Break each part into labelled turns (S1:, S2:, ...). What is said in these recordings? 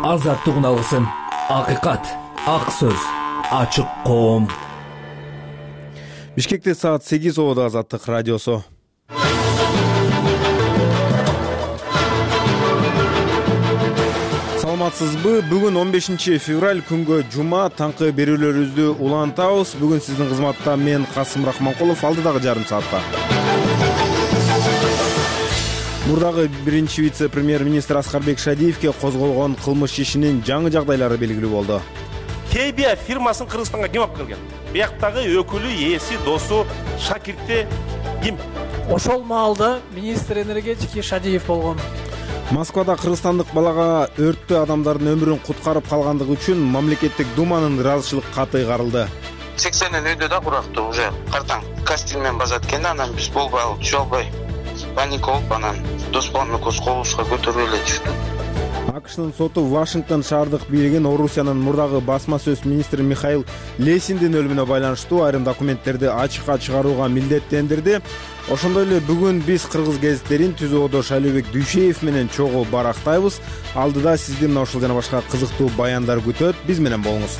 S1: азаттыгын алгысың. Акыйкат, ак сөз, ачык коом.
S2: Бишкекте саат 8 обода Азаттык радиосу. Саламатсызбы? Бүгүн 15 февраль күнгө жума, таңкы берүүлөрүбүздү улантабыз. Бүгүн сиздин кызматта мен Касым Рахманкулов, алдыдагы жарым саатта. Мурдагы биринчи вице-премьер-министр Аскарбек Шадиевке козголгон кылмыш ишинин жаңы жагдайлары белгилүү болду.
S3: Тебия фирмасын Кыргызстанга ким алып келген? Бияктагы өкүлү, ээси, досу, шакирти ким?
S4: Ошол маалда министр энергетики Шадиев болгон.
S2: Москвада кыргызстандык балага өрттө адамдардын өмүрүн куткарып калгандыгы үчүн мамлекеттик думанын ыраазычылык каты ыйгарылды.
S5: 80 өйдө да курактуу уже картаң кастинг менен базат экен, анан биз болбой алып түшө албай паника болуп анан досболон экөөбүз кобузга көтөрүп эле түштүк.
S2: АКШнын соту Вашингтон шаардык бийлигин Орусиянын мурдагы басма сөз министри Михаил Лесиндин өлүмүнө байланыштуу айрым документтерди ачыкка чыгарууга милдеттендирди. Ошондой эле бүгүн биз кыргыз гезиттерин түзүүдө Шайлообек Дүйшеев менен чогуу барактайбыз. Алдыда сизди мына ушул жана башка кызыктуу баяндар күтөт. Биз менен болуңуз.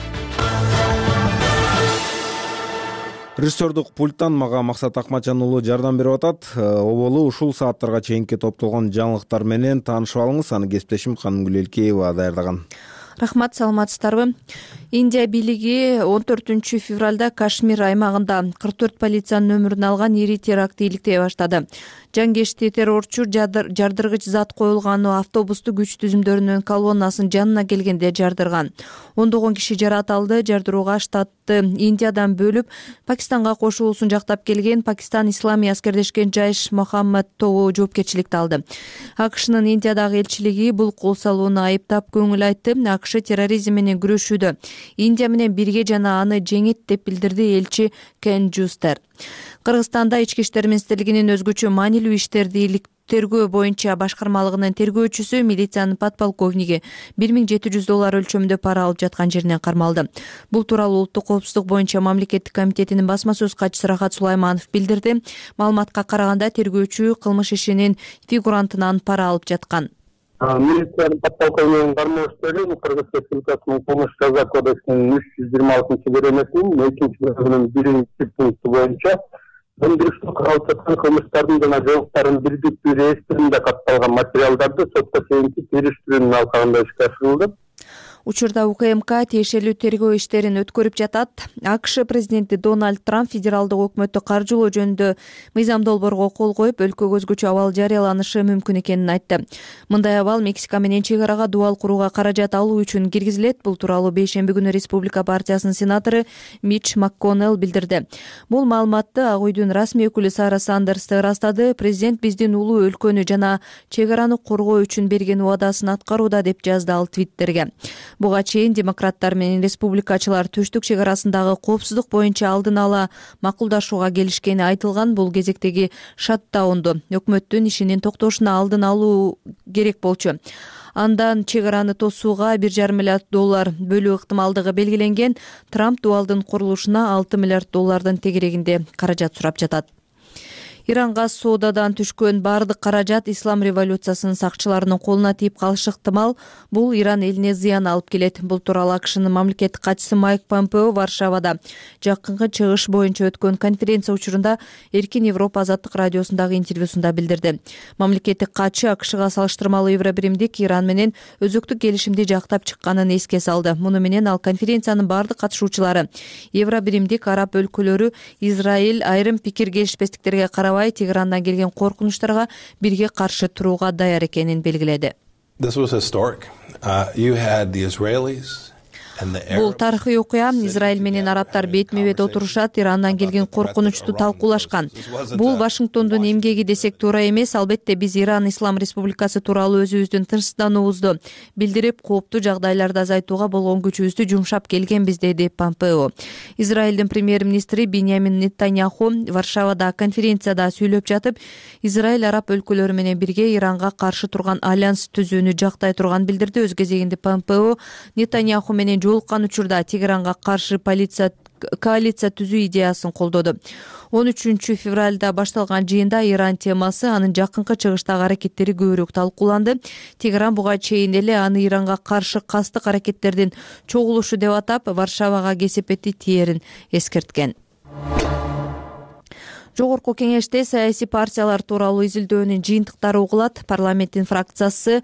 S2: Режиссердук пульттан мага Максат Акматжан уулу жардам берип атат. Оболу ушул сааттарга чейинки топтолгон жаңылыктар менен таанышып алыңыз. Аны кесиптешим Канымгүл Элкеева даярдаган.
S6: Рахмат, саламатсыздарбы? Индия бийлиги 14 февралда Кашмир аймагында 44 полициянын өмүрүн алган ири терактты иликтей баштады. Жангешти террорчу жардыргыч зат коюлган автобусту күч түзүмдөрүнүн колоннасынын жанына келгенде жардырган. Ондогон киши жаратылды. Жардырууга штатты Индиядан бөлүп Пакистанга кошулуусун жактап келген Пакистан исламий аскердешкен Жайш Мохаммад тобу жоопкерчиликти алды. АКШнын Индиядагы элчилиги бул кол салууну айыптап көңүл айтты. АКШ терроризм менен күрөшүүдө Индия менен бирге жана аны жеңет деп билдирди элчи Кен Жустер. Кыргызстанда Ички иштер министрлигинин өзгөчө маанилүү иштерди тергөө боюнча башкармалыгынын тергөөчүсү милициянын подполковниги $1700 өлчөмүндө пара алып жаткан жеринен кармалды. Бул тууралуу Улуттук коопсуздук боюнча мамлекеттик комитетинин басма сөз катчысы Рахат Сулайманов билдирди. Маалыматка караганда тергөөчү кылмыш ишинин фигурантынан пара алып жаткан.
S7: Милициянын подполковнигинин кармоштори Кыргыз Республикасынын кылмыш жаза кодексинин 326-беренесинин 2-бөлүгүнүн 1-пункту боюнча өндүрүштү кылып жаткан кылмыштардын жана жооптордун бирдиктүү реестринде катталган материалдарды сотко чейинки териштирүүнүн алкагында ишке ашырылды.
S6: Учурда УКМК тиешелүү тергөө иштерин өткөрүп жатат. АКШ президенти Дональд Трамп федералдык өкмөттү каржылоо жөнүндө мыйзам долбоорго кол коюп, өлкөгө өзгөчө абал жарыяланышы мүмкүн экенин айтты. Мындай абал Мексика менен чек арага дубал курууга каражат алуу үчүн киргизилет. Бул тууралуу бейшемби күнү Республика партиясынын сенатору Митч МакКоннелл билдирди. Бул маалыматты Ак үйдүн расмий өкүлү Сара Сандерс ырастады. Президент биздин улуу өлкөнү жана чек араны коргоо үчүн берген убадасын аткарууда деп жазды ал Твиттерге. Буга чейин демократтар менен республикачылар төштүк чек арасындагы коопсуздук боюнча алдын ала макулдашууга келишкени айтылган. Бул кезектеги шаттаунду өкмөттүн ишинин токтошуна алдын алуу керек болчу. Андан чек араны тосууга $1,5 миллиард бөлүү ыктымалдыгы белгиленген. Трамп дубалдын курулушуна $6 миллиард тегерегинде каражат сурап жатат. Иранга соодадан түшкөн бардык каражат ислам революциясынын сакчыларынын колуна тийип калышы ыктымал. Бул Иран элине зыян алып келет. Бул тууралуу АКШнын мамлекеттик катчысы Майк Помпео Варшавада жакынкы чыгыш боюнча өткөн конференция учурунда Эркин Европа Азаттык радиосундагы интервьюсунда билдирди. Мамлекеттик катчы АКШга салыштырмалуу Евробиримдик Иран менен өзөктүк келишимди жактап чыкканын эске салды. Муну менен ал конференциянын бардык катышуучулары Евробиримдик араб өлкөлөрү Израиль айрым пикир келишпестиктерге карабай Тегерандан келген коркунучтарга бирге каршы турууга даяр экенин белгиледи. Бул тарыхый окуя. Израиль менен арабтар бетме-бет отурушат, Ирандан келген коркунучту талкуулашкан. Бул Вашингтондун эмгеги десек туура эмес. Албетте биз Иран Ислам Республикасы тууралуу өзүбүздүн тынчсыздануубузду билдирип, кооптуу жагдайларды азайтууга болгон күчүбүздү жумшап келгенбиз, деди Помпео. Израилдин премьер-министри Биньямин Нетаньяху Варшавада конференцияда сүйлөп жатып, Израиль араб өлкөлөрү менен бирге Иранга каршы турган альянс түзүүнү жактай турганын билдирди. Өз кезегинде Помпео Нетаньяху менен жолуккан учурда Тегеранга каршы коалиция түзүү идеясын колдоду. 13 февралда башталган жыйында Иран темасы, анын жакынкы чыгыштагы аракеттери көбүрөөк талкууланды. Тегеран буга чейин эле аны Иранга каршы кастык аракеттердин чогулушу деп атап, Варшавага кесепети тиерин эскерткен. Жогорку кеңеште саясий партиялар тууралуу изилдөөнүн жыйынтыктары угулат. Парламенттин фракциясы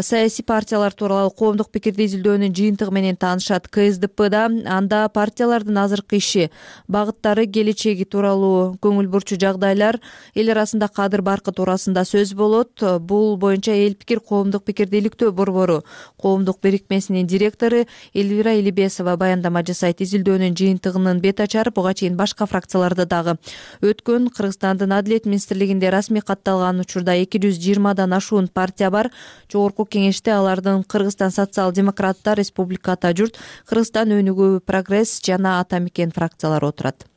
S6: саясий партиялар тууралуу коомдук пикирди изилдөөнүн жыйынтыгы менен таанышат. КСДПда анда партиялардын азыркы иши, багыттары, келечеги тууралуу көңүл бурчу жагдайлар, эл арасында кадыр баркы туурасында сөз болот. Бул боюнча эл пикир коомдук пикирди иликтөө борбору коомдук бирикмесинин директору Элвира Элибесова баяндама жасайт. Изилдөөнүн жыйынтыгынын бет ачары буга чейин башка фракцияларда дагы өткөн. Кыргызстандын Адилет министрлигинде расмий катталган учурда 220дан ашуун партия бар. Жогорку кеңеште алардын Кыргызстан социал-демократтар, Республика Ата журт, Кыргызстан өнүгүү прогресс жана Ата мекен фракциялары отурат.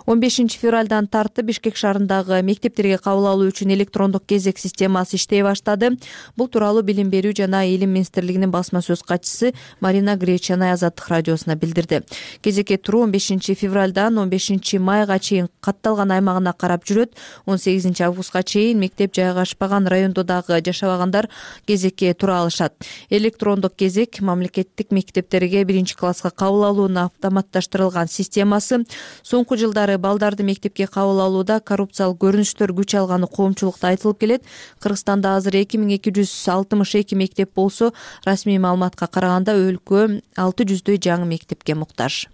S6: 15 февралдан тартып Бишкек шаарындагы мектептерге кабыл алуу үчүн электрондук кезек системасы иштей баштады. Бул тууралуу Билим берүү жана Илим министрлигинин басма сөз катчысы Марина Гречанай Азаттык радиосуна билдирди. Кезекке туруу 15 февралдан 15 майга чейин катталган аймагына карап жүрөт. 18 августка чейин мектеп жайгашпаган райондо дагы жашабагандар кезекке тура алышат. Электрондук кезек мамлекеттик мектептерге 1-класска кабыл алуунун автоматташтырылган системасы. Соңку жылдары балдарды мектепке кабыл алууда коррупциялык көрүнүштөр күч алганы коомчулукта айтылып келет. Кыргызстанда азыр 2262 мектеп болсо, расмий маалыматка караганда өлкө 600дөй жаңы мектепке муктаж.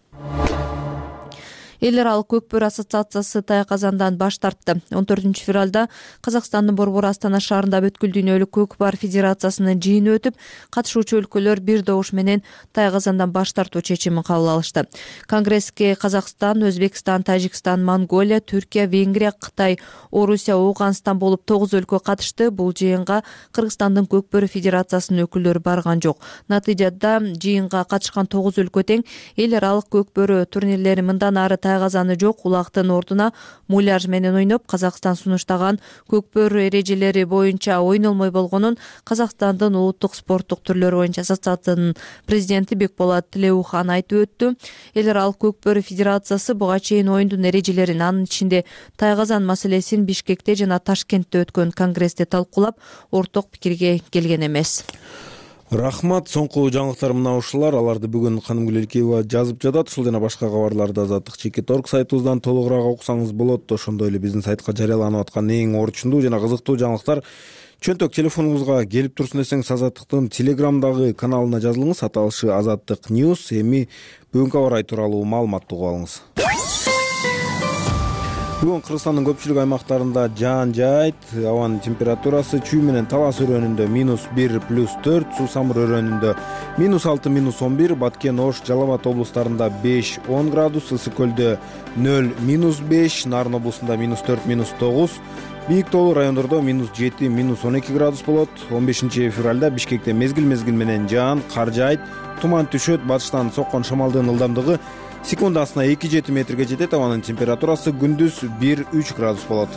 S6: Эл аралык көкбөр ассоциациясы Тая Казандан баш тартты. 14 февралда Казакстандын борбору Астана шаарында бүткүл дүйнөлүк көкбар федерациясынын жыйыны өтүп, катышуучу өлкөлөр бир добуш менен Тая Казандан баш тартуу чечимин кабыл алышты. Конгресске Казакстан, Өзбекстан, Тажикстан, Монголия, Түркия, Венгрия, Кытай, Орусия, Ооганстан болуп 9 өлкө катышты. Бул жыйынга Кыргызстандын көкбөр федерациясынын өкүлдөрү барган жок. Натыйжада жыйынга катышкан 9 өлкө тең. Эл аралык көкбөрү турнирлери мындан ары Казаны жок, улактын ордуна муляж менен ойноп, Казакстан сунуштаган көкбөр эрежелери боюнча ойнолмой болгонун Казакстандын улуттук спорттук түрлөрү боюнча ассоциациянын президенти Бекболот Тилеухан айтып өттү. Эл аралык көкбөр федерациясы буга чейин оюндун эрежелерин, анын ичинде Тая Казан маселесин Бишкекте жана Ташкентте өткөн конгрессте талкуулап, орток пикирге келген эмес.
S2: Рахмат. Соңку жаңылыктар мына ушулар. Аларды бүгүн Канымгүл Элкеева жазып жатат. Ушул жана башка кабарларды Азаттык Чекит.орг сайтыбыздан толугураак окусаңыз болот. Ошондой эле биздин сайтка жарыяланып аткан эң орчундуу жана кызыктуу жаңылыктар чөнтөк телефонуңузга келип турсун десеңиз, Азаттыктын Телеграмдагы каналына жазылыңыз. Аталышы Азаттык News. Эми бүгүнкү аба ырайы тууралуу маалыматты угуп алыңыз. Бүгүн Кыргызстандын көпчүлүк аймактарында жаан жаайт. Абанын температурасы чүй менен Талас өрөөнүндө -1+4, Суу-Самыр өрөөнүндө -6, -11, Баткен, Ош, Жалал Абад облустарында 5-10 градус, Ысык көлдө 0, -5, Нарын облусунда -4, -9, Бийик тоолуу райондордо -7, -12 градус болот. 15 февралда Бишкекте мезгил менен жаан, кар жаайт, туман түшөт. Батыштан соккон шамалдын ылдамдыгы секундасына 2-7 метрге жетет. Абанын температурасы күндүз 1-3 градус болот.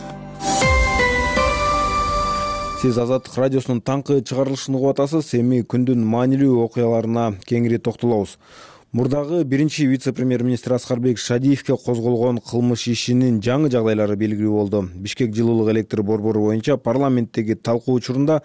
S2: Сиз Азаттык радиосунун таңкы чыгарылышын угуп атасыз. Эми күндүн маанилүү окуяларына кеңири токтолобуз. Мурдагы биринчи вице-премьер-министр Аскарбек Шадиевке козголгон кылмыш ишинин жаңы жагдайлары белгилүү болду. Бишкек жылуулук электр борбору боюнча парламенттеги талкуу учурунда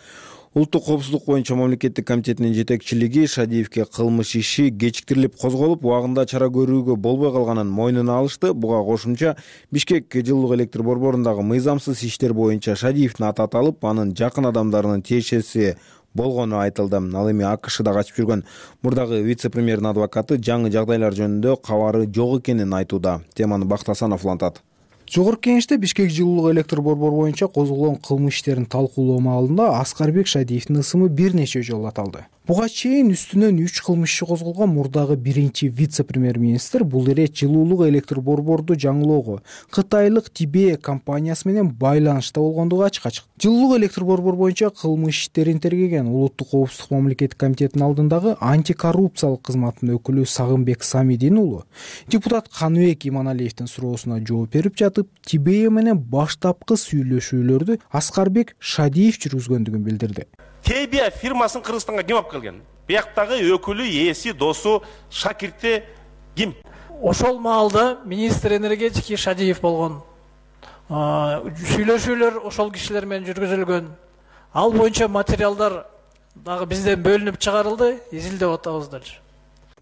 S2: Улуттук коопсуздук боюнча мамлекеттик комитетинин жетекчилиги Шадиевке кылмыш иши кечиктирилип козголуп, убагында чара көрүүгө болбой калганын мойнуна алышты. Буга кошумча Бишкек жылуулук электр борборундагы мыйзамсыз иштер боюнча Шадиевдин аты аталып, анын жакын адамдарынын тиешеси болгону айтылды. Ал эми АКШда качып жүргөн мурдагы вице-премьердин адвокаты жаңы жагдайлар жөнүндө кабары жок экенин айтууда. Теманы Бакыт Асанов улантат.
S8: Жогорку кеңеште Бишкек жылуулук электр борбору боюнча козголгон кылмыш иштерин талкуулоо маалында Аскарбек Шадиевдин ысымы бир нече жолу аталды. Буга чейин үстүнөн 3 кылмыш иши козголгон мурдагы биринчи вице-премьер-министр бул ирет жылуулук электр борборду жаңылоого кытайлык Тибе компаниясы менен байланышта болгондугу ачык. Жылуулук электр борбору боюнча кылмыш иштерин тергеген Улуттук коопсуздук мамлекеттик комитетинин алдындагы антикоррупциялык кызматтын өкүлү Сагынбек Самидин уулу депутат Каныбек Иманалиевдин суроосуна жооп берип жатып, Тибе менен баштапкы сүйлөшүүлөрдү Аскарбек Шадиев жүргүзгөндүгүн билдирди.
S3: Тебия фирмасын Кыргызстанга ким алып келген? Бияктагы өкүлү, ээси, досу, шакирти ким?
S4: ошол маалда министр энергетики Шадиев болгон. Сүйлөшүүлөр ошол кишилер менен жүргүзүлгөн. Ал боюнча материалдар дагы бизден бөлүнүп чыгарылды, изилдеп атабыз дальше.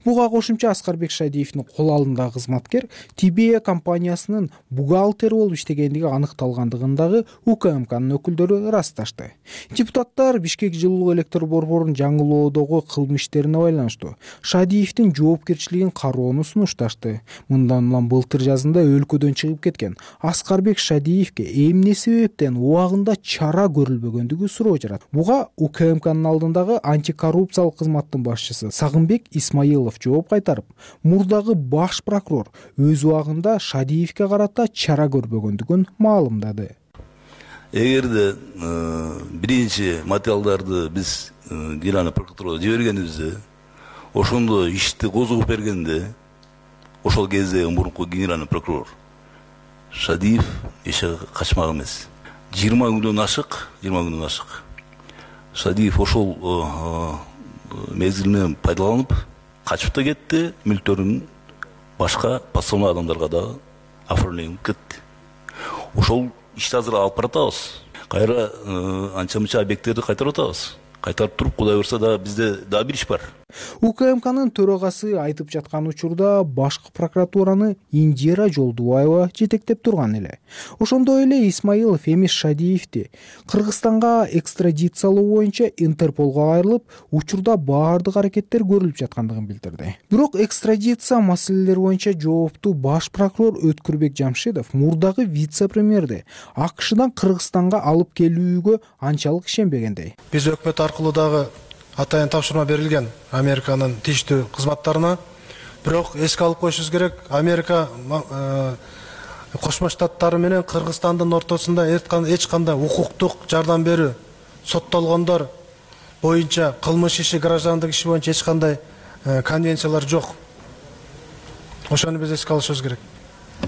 S8: Буга кошумча Аскарбек Шадиевдин кол алдындагы кызматкер TBA компаниясынын бухгалтери болуп иштегендиги аныкталгандыгындагы УКМКнын өкүлдөрү ырасташты. Депутаттар Бишкек жылуулук электр борборунун жаңылоодогу кылмыш иштерине байланыштуу Шадиевдин жоопкерчилигин кароону сунушташты. Мындан улам былтыр жазында өлкөдөн чыгып кеткен Аскарбек Шадиевге эмне себептен убагында чара көрүлбөгөндүгү суроо жарат. Буга УКМКнын алдындагы антикоррупциялык кызматтын башчысы Сагынбек Исмаилов жооп кайтарып, мурдагы баш прокурор өз убагында Шадиевге карата чара көрбөгөндүгүн маалымдады.
S9: Эгерде биринчи материалдарды биз Генеральный прокуратурага жибергенибизде, ошондо ишти козгоп бергенде, ошол кезде мурунку генеральный прокурор Шадиев эч жакка качмак эмес. 20 күндөн ашык. Шадиев ошол мезгилинен пайдаланып качып да кетти, мүлктөрүн башка подставной адамдарга дагы оформленип кетти. Ошол ишти азыр алып баратабыз. Кайра анча-мынча объекттерди кайтарып атабыз. Кайтарып туруп, Кудай буйрса да бизде дагы бир иш бар.
S8: УКМКнын төрагасы айтып жаткан учурда башкы прокуратураны Индира Жолдубаева жетектеп турган эле. Ошондой эле Исмаилов эмес Шадиевди Кыргызстанга экстрадициялоо боюнча Интерполго кайрылып, учурда баардык аракеттер көрүлүп жаткандыгын билдирди. Бирок экстрадиция маселелери боюнча жоопту баш прокурор Өткүрбек Жамшидов мурдагы вице-премьерди АКШдан Кыргызстанга алып келүүгө анчалык ишенбегендей.
S10: Биз өкмөт аркылуу дагы атайын тапшырма берилген Американын тийиштүү кызматтарына. Бирок эске алып коюшубуз керек, Америка Кошмо Штаттары менен Кыргызстандын ортосунда эч кандай укуктук жардам берүү, соттолгондор боюнча кылмыш иши, граждандык иши боюнча эч кандай конвенциялар жок. Ошону биз эске алышыбыз керек.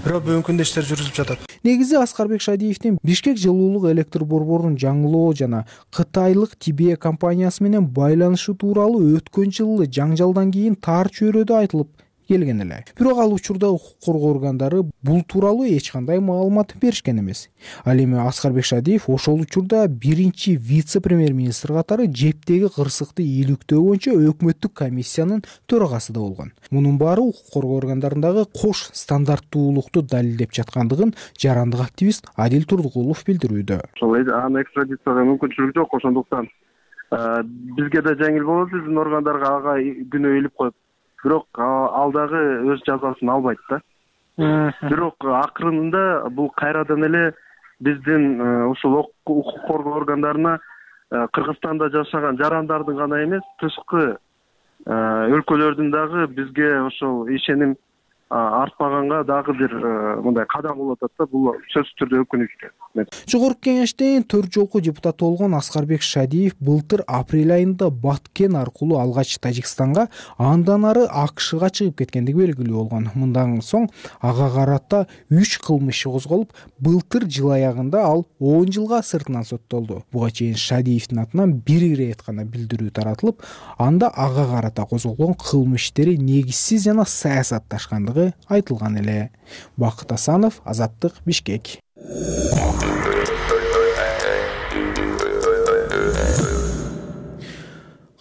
S10: Бирок бүгүнкү күндө иштер жүрүзүп жатат.
S8: Негизи Аскарбек Шадиевдин Бишкек жылуулук электр борборунун жаңылоо жана Кытайлык TBA компаниясы менен байланышы тууралуу өткөн жылы жаңжалдан кийин тар чөйрөдө айтылып келген эле. Бирок ал учурда укук коргоо органдары бул тууралуу эч кандай маалымат беришкен эмес. Ал эми Аскарбек Шадиев ошол учурда биринчи вице-премьер-министр катары жептеги кырсыкты ийгиликтөө боюнча өкмөттүк комиссиянын төрагасы да болгон. Мунун баары укук коргоо органдарындагы кош стандарттуулукту далилдеп жаткандыгын жарандык активист Адил Турдукулов билдирүүдө.
S7: Ошол аны экстрадицияга мүмкүнчүлүгү жок, ошондуктан бизге да жеңил болот, биздин органдарга ага күнөө илип коюп. Бирок ал дагы өз жазасын албайт да. Бирок акырында бул кайрадан эле биздин ушул укук коргоо органдарына Кыргызстанда жашаган жарандардын гана эмес, тышкы өлкөлөрдүн дагы бизге ошол ишеним артпаганга дагы бир мындай кадам болуп атат да. Бул сөзсүз түрдө өкүнүчтүү.
S8: Жогорку кеңештин 4 жолку депутаты болгон Аскарбек Шадиев былтыр апрель айында Баткен аркылуу алгач Тажикстанга, андан ары АКШга чыгып кеткендиги белгилүү болгон. Мындан соң ага карата 3 кылмыш иши козголуп, былтыр жыл аягында ал 10 жылга сыртынан соттолду. Буга чейин Шадиевдин атынан бир ирет гана билдирүү таратылып, анда ага карата козголгон кылмыш иштери негизсиз жана саясатташкандыгы айтылган эле. Бакыт Асанов, Азаттык, Бишкек.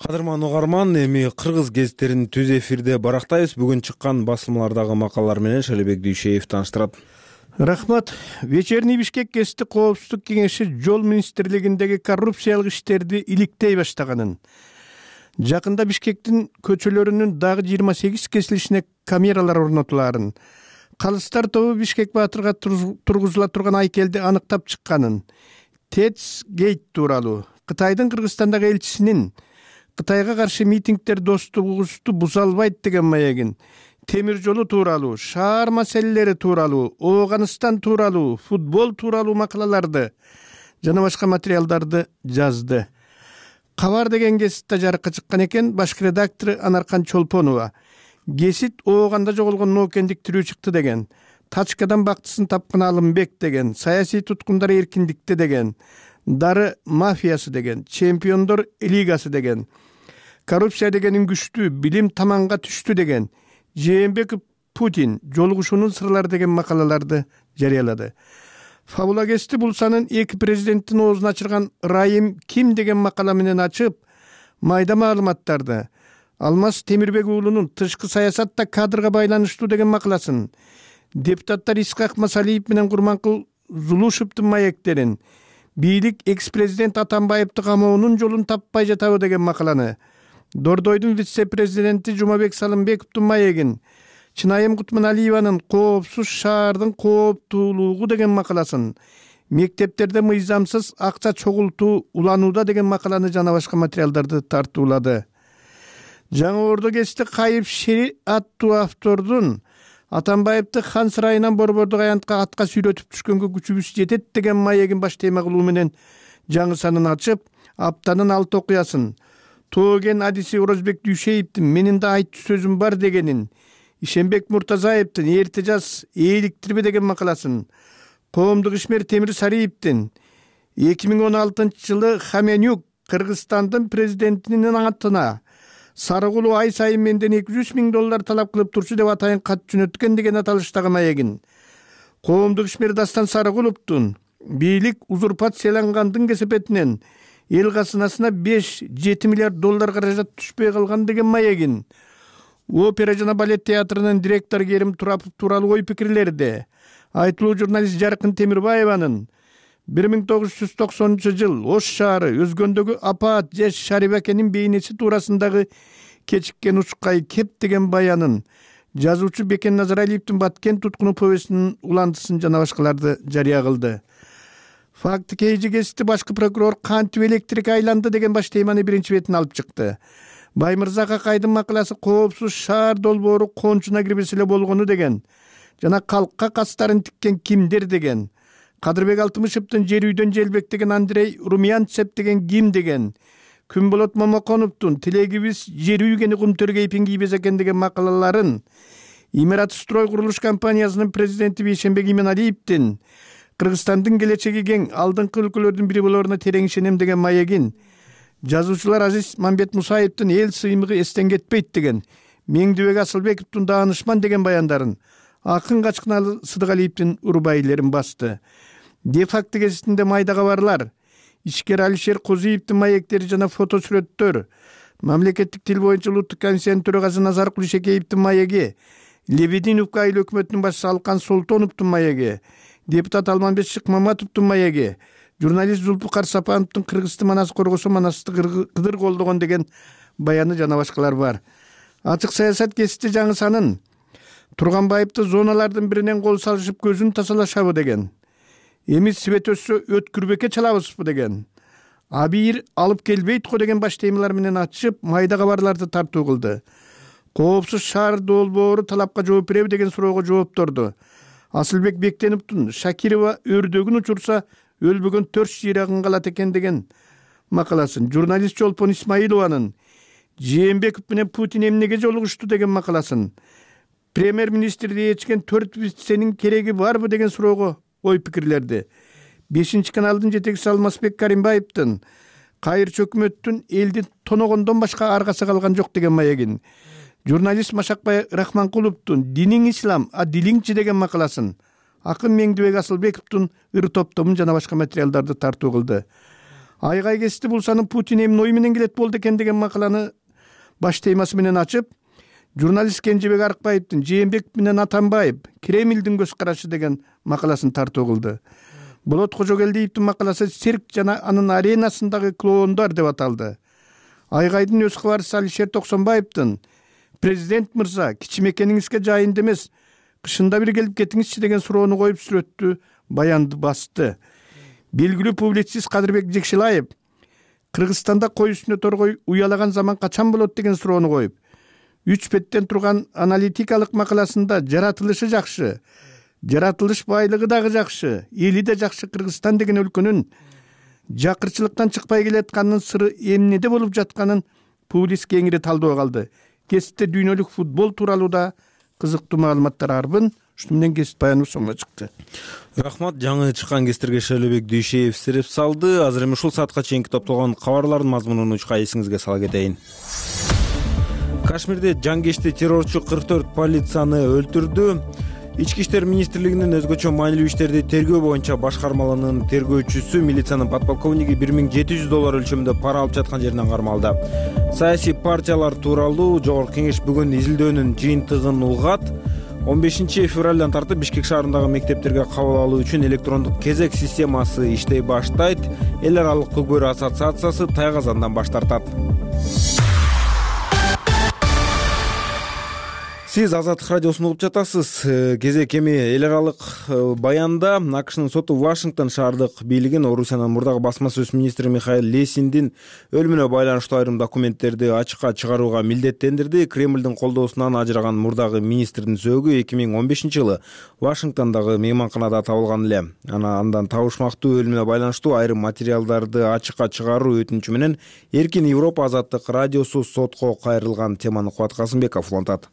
S2: Кадырман угарман, эми кыргыз гезиттерин түз эфирде барактайбыз. Бүгүн чыккан басылмалардагы макалалар менен Шалебек Дүйшеев тааныштырат.
S11: Рахмат. Вечерний Бишкек гезити Коопсуздук кеңеши жол министрлигиндеги коррупциялык иштерди иликтей баштаганын, жакында Бишкектин көчөлөрүнүн дагы 28 кесилишине камералар орнотуларын, калыстар тобу Бишкек Баатырга тургузула турган айкелди аныктап чыкканын, ТЭЦ гейт тууралуу, Кытайдын Кыргызстандагы элчисинин Кытайга каршы митингдер достугубузду буза албайт деген маегин, темир жолу тууралуу, шаар маселелери тууралуу, Ооганыстан тууралуу, футбол тууралуу макалаларды жана башка материалдарды жазды. Кабар деген гезитте жарыкка чыккан экен. Башкы редактору Анаркан Чолпонова. Гезит Ооганда жоголгон ноокендик тирүү чыкты деген. Тачкадан бактысын тапкан Алымбек деген. Саясий туткундар эркиндикте деген. Дары мафиясы деген. Чемпиондор лигасы деген. Коррупция дегенин күчтүү, билим таманга түштү деген. Жээнбеков Путин жолугушуунун сырлары деген макалаларды жарыялады. Фабула Кести Булсанын эки президенттин оозун ачырган ырайым ким деген макала менен ачып, майда маалыматтарды Алмаз Темирбек уулунун тышкы саясатта кадрга байланыштуу деген макаласын, депутаттар Исхак Масалиев менен Курманкул Зулушевдин маектерин, бийлик экс-президент Атамбаевди камоонун жолун таппай жатабы деген макаланы, Дордойдун вице-президенти Жумабек Салымбековдун маегин, Чынайым Кутманалиеванын коопсуз шаардын кооптуулугу деген макаласын, мектептерде мыйзамсыз акча чогултуу уланууда деген макаланы жана башка материалдарды тартуулады. Жаңы Ордо Кести Кайып Шери аттуу автордун Атамбаевди хан сарайынан Борбордук аянтка атка сүйрөтүп түшкөнгө күчүбүз жетет деген маегин баш тема кылуу менен жаңы санын ачып, аптанын 6 окуясын, Тооген адиси Орозбек Дүйшеевдин менин да айтчу сөзүм бар дегенин, Ишенбек Муртазаевдин эрте жаз ээликтирбе деген макаласын, Коомдук ишмер Темир Сариевдин 2016-жылы Хаменюк Кыргызстандын президентинин атына Сарыгулу ай сайын менден $200,000 талап кылып турчу деп атайын кат жөнөткөн деген аталыштагы маегин, Коомдук ишмер Дастан Сарыгуловдун бийлик узурпациялангандын кесепетинен эл казынасына $5-7 миллиард каражат түшпөй калган деген маегин, Опера жана балет театрынын директору Керим Турапов тууралуу ой пикирлерди, айтылуу журналист Жаркын Темирбаеванын 1990-жыл Ош шаары өзгөндөгү апаат же Шарибакенин бейнеси туурасындагы кечиккен учкай кеп деген баянын, жазуучу Бекен Назаралиевдин Баткен туткуну повестинин уландысын жана башкаларды жарыя кылды. Факты Кейжи Кести башкы прокурор кантип электрик айланды деген баш теманы биринчи бетине алып чыкты. Баймырза Какайдын макаласы коопсуз шаар долбоору кончуна кирбесе эле болгону деген жана калкка кастарын тиккен кимдер деген, Кадырбек Алтымышевдин жер үйдөн желбектеген Андрей Румянцев деген ким деген, Күнболот Момоконовдун тилегибиз жер үйгени кумтөргө ипин кийбес экен деген макалаларын, Имарат строй курулуш компаниясынын президенти Бейшенбек Именалиевдин Кыргызстандын келечеги кең алдыңкы өлкөлөрдүн бири болоруна терең ишенем деген маегин, жазуучулар Азиз Мамбет Мусаевдин эл сыймыгы эстен кетпейт деген, Меңдибек Асылбековдун даанышман деген баяндарын, Акын Качкыналы Сыдыгалиевдин урбайлерин басты. Де-факты гезитинде майда кабарлар, ишкер Алишер Козиевдин маектери жана фотосүрөттөр, мамлекеттик тил боюнча улуттук комиссиянын төрагасы Назар Кулишекеевдин маеги, Лебединовка айыл өкмөтүнүн башчысы Алкан Солтоновдун маеги, депутат Алманбет Шыкмаматовдун маеги, журналист Зулпукар Сапановдун Кыргызды манас коргосо манасты кыдыр колдогон деген баяны жана башкалар бар. Ачык саясат гезити жаңы санын Турганбаевди зоналардын биринен кол салышып көзүн тазалашабы деген, эми свет өссө өткүрбекке чалабызбы деген, абийир алып келбейт го деген баш темалар менен ачып, майда кабарларды тартуу кылды. Коопсуз шаар долбоору талапка жооп береби деген суроого жоопторду. Асылбек Бектеновдун Шакирова өрдөгүн учурса өлбөгөн 4 жыйрагын калат экен деген макаласын, журналист Чолпон Исмаилованын Жээнбеков менен Путин эмнеге жолугушту деген макаласын, премьер-министрди ээрчкен 4 виценин кереги барбы деген суроого ой пикирлерди. 5-каналдын жетекчиси Алмазбек Каримбаевдин кайырчы өкмөттүн элди тоногондон башка аргасы калган жок деген маегин, журналист Машакбай Рахманкуловдун диниң ислам, а дилиңчи деген макаласын, Акын Меңдибек Асылбековдун ыр топтомун жана башка материалдарды тартуу кылды. Айгай Кести Булсанын Путин эмне ой менен келет болду экен деген макаланы баш темасы менен ачып, журналист Кенжебек Арыкбаевдин Жээнбеков менен Атамбаев Кремлдин көз карашы деген макаласын тартуу кылды. Болот Кожогелдиевдин макаласы цирк жана анын аренасындагы клоундар деп аталды. Айгайдын өз кабарчысы Алишер Токсонбаевдин президент мырза кичимекениңизге жайында эмес, кышында бир келип кетиңизчи деген суроону коюп сүрөттү баянды басты. Белгилүү публицист Кадырбек Жекшилаев Кыргызстанда кой үстүнө торгой уялаган заман качан болот деген суроону коюп, 3 беттен турган аналитикалык макаласында жаратылышы жакшы, жаратылыш байлыгы дагы жакшы, эли да жакшы Кыргызстан деген өлкөнүн жакырчылыктан чыкпай келатканынын сыры эмнеде болуп жатканын публицист кеңири талдоо калды. Кесипте дүйнөлүк футбол тууралуу да кызыктуу маалыматтар арбын. Ушуну менен кесип баяныбыз соңуна чыкты.
S2: Рахмат. Жаңы чыккан кесиптерге Шайлообек Дүйшеев сереп салды. Азыр эми ушул саатка чейинки топтолгон кабарлардын мазмунун учка эсиңизге сала кетейин. Кашмирде жангечти террорчу 44 полицияны өлтүрдү. Ички иштер министрлигинин өзгөчө маанилүү иштерди тергөө боюнча башкармалыгынын тергөөчүсү милициянын подполковниги $1700 өлчөмүндө пара алып жаткан жеринен кармалды. Саясий партиялар тууралуу Жогорку Кеңеш бүгүн изилдөөнүн жыйынтыгын угат. 15 февралдан тартып Бишкек шаарындагы мектептерге кабыл алуу үчүн электрондук кезек системасы иштей баштайт. Эл аралык Көкбөрү ассоциациясы тайгазандан баш тартат. Сиз Азаттык радиосун угуп жатасыз. Кезек эми эл аралык баянда АКШнын соту Вашингтон шаардык бийлигин Орусиянын мурдагы басма сөз министри Михаил Лесиндин өлүмүнө байланыштуу айрым документтерди ачыкка чыгарууга милдеттендирди. Кремлдин колдоосунан ажыраган мурдагы министрдин сөөгү 2015-жылы Вашингтондогу мейманканада табылган эле. Андан табышмактуу өлүмүнө байланыштуу айрым материалдарды ачыкка чыгаруу өтүнүчү менен Эркин Европа Азаттык радиосу сотко кайрылган теманы Кубат Касымбеков улантат.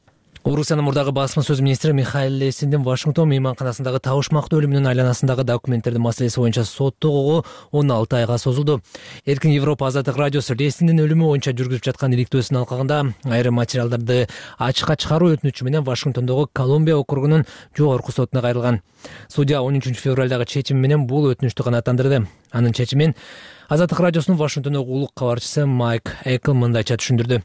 S1: Орусиянын мурдагы басма сөз министри Михаил Лесиндин Вашингтон мейманканасындагы табышмактуу өлүмүнүн айланасындагы документтердин маселеси боюнча соттогуу 16 айга созулду. Эркин Европа Азаттык радиосу Лесиндин өлүмү боюнча жүргүзүп жаткан иликтөөсүнүн алкагында айрым материалдарды ачыкка чыгаруу өтүнүчү менен Вашингтондогу Колумбия округунун жогорку сотуна кайрылган. Судья 13 февралдагы чечими менен бул өтүнүчтү канааттандырды. Анын чечимин Азаттык радиосунун Вашингтондогу улук кабарчысы Майк Экл мындайча түшүндүрдү.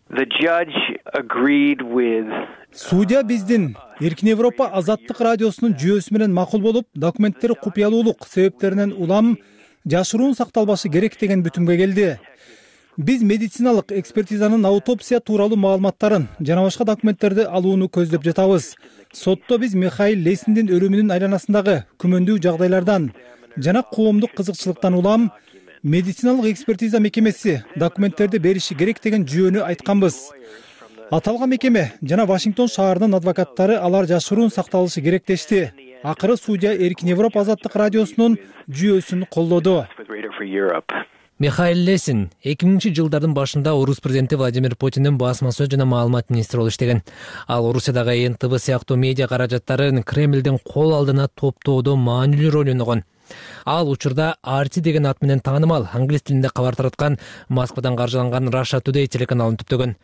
S12: Судья биздин Эркин Европа Азаттык радиосунун жүйөсү менен макул болуп, документтер купуялуулук себептеринен улам жашыруун сакталбашы керек деген бүтүмгө келди. Биз медициналык экспертизанын аутопсия тууралуу маалыматтарын жана башка документтерди алууну көздөп жатабыз. Сотто биз Михаил Лесиндин өлүмүнүн айланасындагы күмөндүү жагдайлардан жана коомдук кызыкчылыктан улам медициналык экспертиза мекемеси документтерди бериши керек деген жүйөнү айтканбыз. Аталган мекеме жана Вашингтон шаарынын адвокаттары алар жашыруун сакталышы керек дешти. Акыры судья Эркин Европа Азаттык радиосунун жүйөсүн колдоду.
S1: Михаил Лесин 2000-жылдардын башында Орус президенти Владимир Путиндин басма сөз жана маалымат министри болуп иштеген. Ал Орусиядагы НТВ сыяктуу медиа каражаттарын Кремлдин кол алдына топтоодо маанилүү роль ойногон. Ал учурда RT деген ат менен таанымал англис тилинде кабар тараткан Москвадан каржыланган Russia Today телеканалын түптөгөн.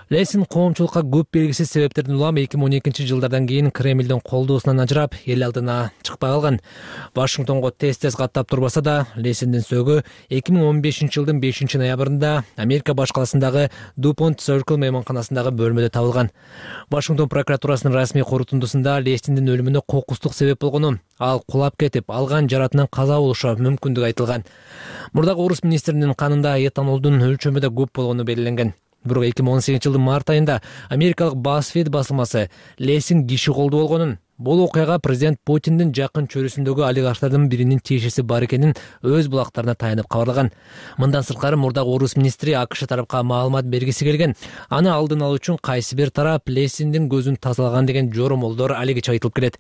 S1: Лесин коомчулукка көп белгисиз себептерден улам 2012-жылдардан кийин Кремлдин колдоосунан ажырап, эл алдына чыкпай калган. Вашингтонго тез-тез каттап турбаса да, Лесиндин сөөгү 2015-жылдын 5-ноябрында Америка баш каласындагы DuPont Circle мейманканасындагы бөлмөдө табылган. Вашингтон прокуратурасынын расмий корутундусунда Лесиндин өлүмүнө кокустук себеп болгону, ал кулап кетип, алган жаратынан каза болушу мүмкүндүгү айтылган. Мурдагы орус министринин канында этанолдун өлчөмү да көп болгону белгиленген. Бирок 2018-жылдын март айында америкалык BuzzFeed басылмасы Лесин киши колдуу болгонун, бул окуяга президент Путиндин жакын чөрүсүндөгү олигархтардын биринин тиешеси бар экенин өз булактарына таянып кабарлаган. Мындан сырткары мурдагы орус министри АКШ тарапка маалымат бергиси келген. Аны алдын алуу үчүн кайсы бир тарап Лесиндин көзүн тазалаган деген жоромолдор алигиче айтылып келет.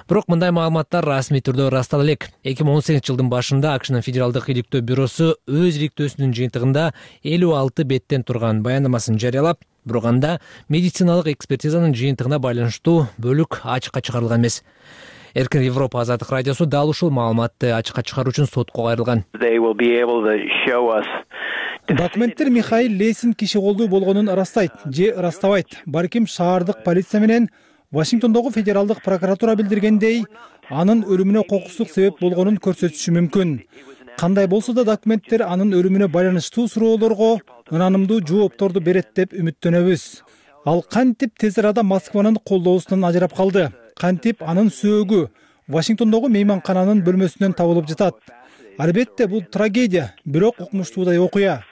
S1: Бирок мындай маалыматтар расмий түрдө ырастала элек. 2018-жылдын башында АКШнын федералдык иликтөө бюросу өз иликтөөсүнүн жыйынтыгында 56 беттен турган баяндамасын жарыялап, бирок анда медициналык экспертизанын жыйынтыгына байланыштуу бөлүк ачыкка чыгарылган эмес. Эркин Европа Азаттык радиосу дал ушул маалыматты ачыкка чыгаруу үчүн сотко кайрылган.
S12: Документтер Михаил Лесин киши колдуу болгонун ырастайт же ырастабайт. Балким шаардык полиция менен Вашингтондогу федералдык прокуратура билдиргендей, анын өлүмүнө кокустук себеп болгонун көрсөтүшү мүмкүн. Кандай болсо да документтер анын өлүмүнө байланыштуу суроолорго ынанымдуу жоопторду берет деп үмүттөнөбүз. Ал кантип тез арада Москванын колдоосунан ажырап калды. Кантип анын сөөгү Вашингтондогу мейманкананын бөлмөсүнөн табылып жатат. Албетте бул трагедия, бирок укмуштуудай окуя.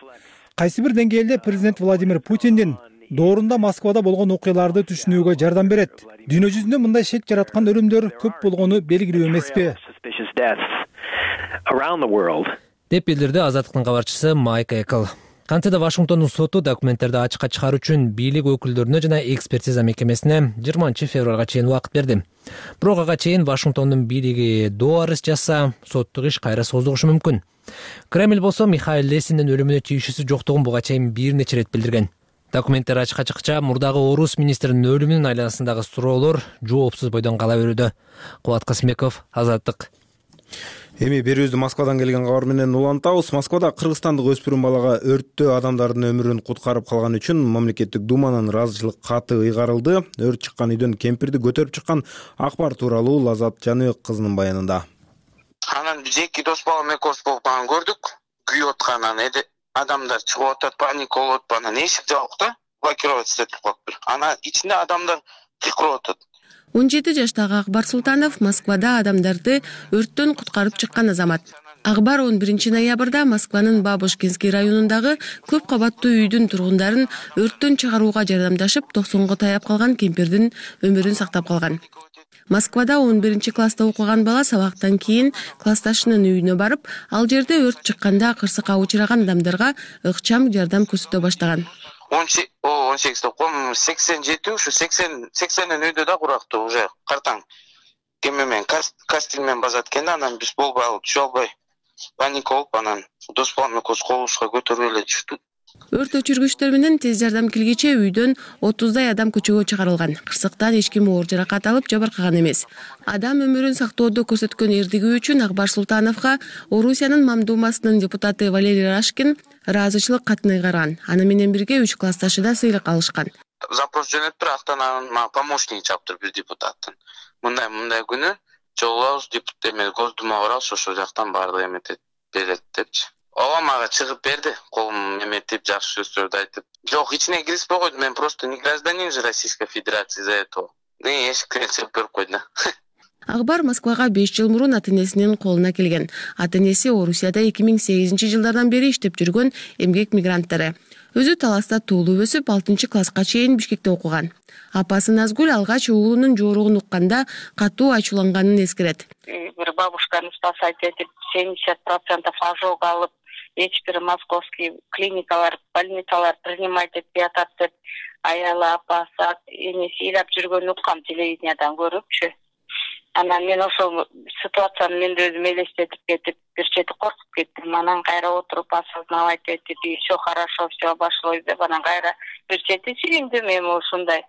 S12: Кайсы бир деңгээлде президент Владимир Путиндин доорунда Москвада болгон окуяларды түшүнүүгө жардам берет. Дүйнө жүзүндө мындай шек жараткан өлүмдөр көп болгону белгилүү эмеспи?
S1: Деп билдирди Азаттыктын кабарчысы Майк Экл. Кантсе да Вашингтондун соту документтерди ачыкка чыгаруу үчүн бийлик өкүлдөрүнө жана экспертиза мекемесине 20 февралга чейин убакыт берди. Бирок ага чейин Вашингтондун бийлиги доо арыз жазса, соттук иш кайра созулушу мүмкүн. Кремль болсо Михаил Лесиндин өлүмүнө тийишүүсү жоктугун буга чейин бир нече ирет билдирген. Документтер ачыкка чыкча мурдагы орус министринин өлүмүнүн айланасындагы суроолор жоопсуз бойдон кала берүүдө. Кубат Касымбеков, Азаттык.
S2: Эми берүүбүздү Москвадан келген кабар менен улантабыз. Москвада кыргызстандык өспүрүм балага өрттө адамдардын өмүрүн куткарып калган үчүн мамлекеттик думанын ыраазычылык каты ыйгарылды. Өрт чыккан үйдөн кемпирди көтөрүп чыккан Акбар тууралуу Лазат Жаныбек кызынын баянында.
S5: Анан биз эки дос балам экөөбүз болуп көрдүк. Күйүп атканын адамдар чыгып атат, паника болуп атат. Анан эшик жабык да, блокировать этип коюптур. Анан ичинде адамдар кыйкырып атат.
S13: 17 жаштагы Акбар Султанов Москвада адамдарды өрттөн куткарып чыккан азамат. Акбар 11 ноябрда Москванын Бабушкинский районундагы көп кабаттуу үйдүн тургундарын өрттөн чыгарууга жардамдашып, 90го таяп калган кемпирдин өмүрүн сактап калган. Москвада 11 класста окуган бала сабактан кийин классташынын үйүнө барып, ал жерде өрт чыкканда кырсыкка учураган адамдарга ыкчам жардам көрсөтө баштаган.
S5: 18 окуп 87 ушу 80 үйдө да курактуу уже картаң кемемен кастелмен базат экен да, анан биз болбой алып түшө албай паника болуп анан дос балам экөөбүз колубузга көтөрүп эле түштүк.
S13: Өрт өчүргүчтөр менен тез жардам келгиче үйдөн 30дай адам көчөгө чыгарылган. Кырсыктан эч ким оор жаракат алып жабыркаган эмес. Адам өмүрүн сактоодо көрсөткөн эрдиги үчүн Акбар Султановго Орусиянын Мамдумасынын депутаты Валерий Рашкин ыраазычылык катын ыйгарган. Аны менен бирге 3 классташы да сыйлык алышкан.
S5: Запрос жөнөттүр, актан помощник чаптыр бир депутаттын. Мындай күнү жолубуз депутат Госдумага барабыз, ошол жактан баардык эметет берет депчи. Ооба мага чыгып берди, колум эметип, жакшы сөздөрдү айтып. Жок, ичине киришпей койду, мен просто не гражданин же Российской Федерации за этого. Эшиктен чыгып берип койду да.
S13: Акбар Москвага 5 жыл мурун ата-энесинин колуна келген. Ата-энеси Орусияда 2008-жылдардан бери иштеп жүргөн эмгек мигранттары. Өзү Таласта туулуп өсүп, 6-класска чейин Бишкекте окуган. Апасы Назгүл алгач уулунун жооругун укканда катуу ачууланганын эскерет.
S14: Бир бабушканы спасать этип 70% ожог алып, эч бир московский клиникалар, больницалар принимать этпей атат деп аялы апасы, энеси ыйлап жүргөнүн уккам телевидениядан көрүпчү. Анан мен ошол ситуацияны мен өзүм элестетип кетип, бир чети коркуп кеттим. Анан кайра отуруп осознавать этип, все хорошо, все обошлось деп, анан кайра бир чети сүйүндүм. Эми ушундай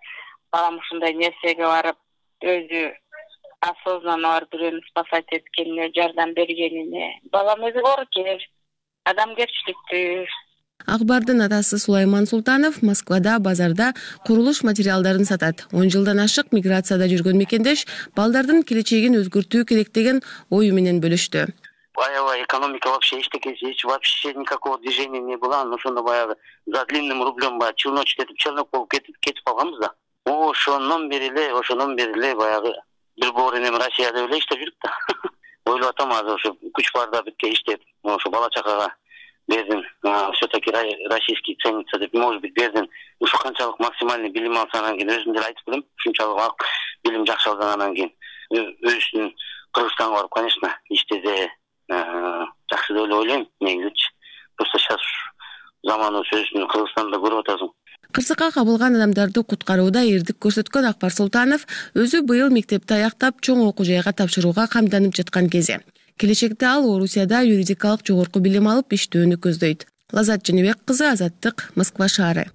S14: балам ушундай нерсеге барып, өзү осознанно барып бирөөнү спасать эткенине, жардам бергенине. Балам өзү коркер, адамгерчиликтүү.
S13: Акбардын атасы Сулайман Султанов Москвада базарда курулуш материалдарын сатат. 10 жылдан ашык миграцияда жүргөн мекендеш балдардын келечегин өзгөртүү керек деген ою менен бөлүштү.
S5: Аябай экономика вообще эчтекеси, вообще никакого движения не было. Но ошондо баягы за длинным рублем баягы челночек этип, челнок болуп кетип калганбыз да. Ошондон бери эле баягы бир бооренем Россияда эле иштеп жүрүп да. Ойлоп атам азыр ошо күч барда битке иштеп, ошо бала чакага бердим, все-таки российский ценится деп, может быть, бердим. Ушу канчалык максимальный билим алсанан кийин өзүм деле айтып билем. Ушунчалык билим жакшы алгандан кийин өзүнүн Кыргызстанга барып, конечно, иштесе жакшы деп эле ойлойм негизичи. Просто сейчас заманыбыз өзүнүн Кыргызстанда көрүп атасың.
S13: Кырсыкка кабылган адамдарды куткарууда эрдик көрсөткөн Акбар Султанов өзү быйыл мектепти аяктап чоң окуу жайга тапшырууга камданып жаткан кези. Келечекте ал Орусияда юридикалык жогорку билим алып иштөөнү көздөйт. Лазат Жаныбек кызы, Азаттык, Москва шаары.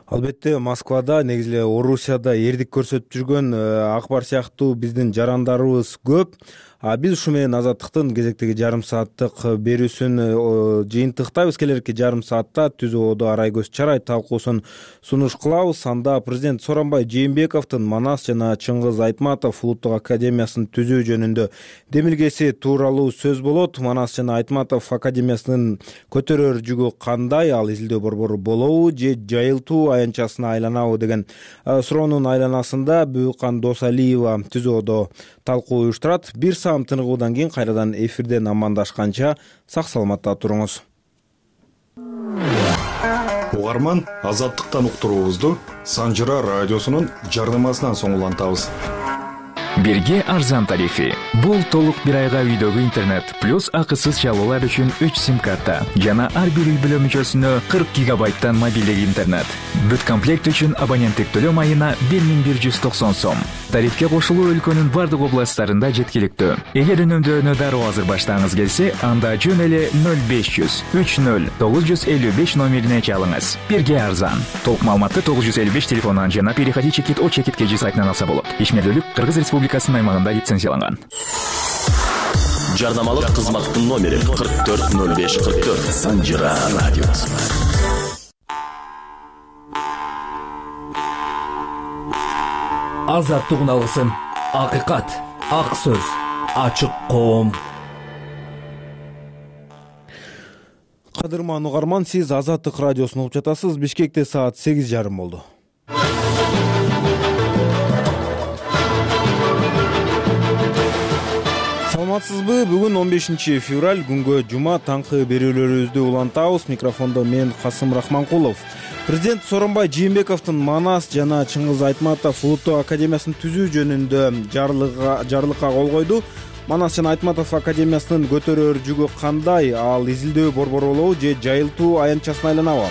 S2: Албетте, Москвада, негизи эле Орусияда эрдик көрсөтүп жүргөн Акбар сыяктуу биздин жарандарыбыз көп. Биз ушу менен Азаттыктын кезектеги жарым сааттык берүүсүн жыйынтыктайбыз. Келерки жарым саатта ТүЗОодо арай көз чарай талкуусун сунуш кылабыз. Анда президент Сооронбай Жээнбековдун Манас жана Чыңгыз Айтматов улуттук академиясын түзүү жөнүндө демилгеси тууралуу сөз болот. Манас жана Айтматов академиясынын көтөрөр жүгү кандай, ал изилдөө борбору болобу же жайылтуу аянтчасына айланабы деген суроонун айланасында Бүкан Досалиева ТүЗОодо талкуу уюштурат. Бир саам тыныгуудан кийин кайрадан эфирден амандашканча сак саламатта туруңуз.
S15: Угарман, Азаттыктан уктуруубузду Санжыра радиосунун жардамасынан соң улантабыз.
S16: Бирге арзан тарифи. Бул толук бир айга үйдөгү интернет плюс акысыз чалуулар үчүн 3 сим-карта жана ар бир үй бүлө мүчөсүнө 40 гигабайттан мобилдик интернет. Бүт комплект үчүн абоненттик төлөм айына 1190 сом. Тарифке кошулуу өлкөнүн бардык областтарында жеткиликтүү. Эгер үнөмдөөнү дароо азыр баштагыңыз келсе, анда жөн эле 0500 30 955 номерине чалыңыз. Бирге арзан. Толук маалыматты 955 телефонунан жана переходи чекит о чекит кежи сайтынан алса болот. Ишмердүүлүк Кыргыз Республикасынын аймагында лицензияланган.
S17: жарнамалык кызматтын номери 440544. Санжыра радиосу.
S18: Азаттык алгысым, акыйкат, ак сөз, ачык коом.
S2: Кадырман угарман, сиз Азаттык радиосун угуп жатасыз. Бишкекте саат 8:30 болду. Саламатсызбы? Бүгүн 15 февраль, күнгө жума, таңкы берүүлөрүбүздү улантабыз. Микрофондо мен Касым Рахманкулов. Президент Сооронбай Жээнбековдун Манас жана Чыңгыз Айтматов улуттук академиясын түзүү жөнүндө жарлыкка кол койду. Манас жана Айтматов академиясынын көтөрөр жүгү кандай? Ал изилдөө борборолобу же жайылтуу аянтчасына айланабы?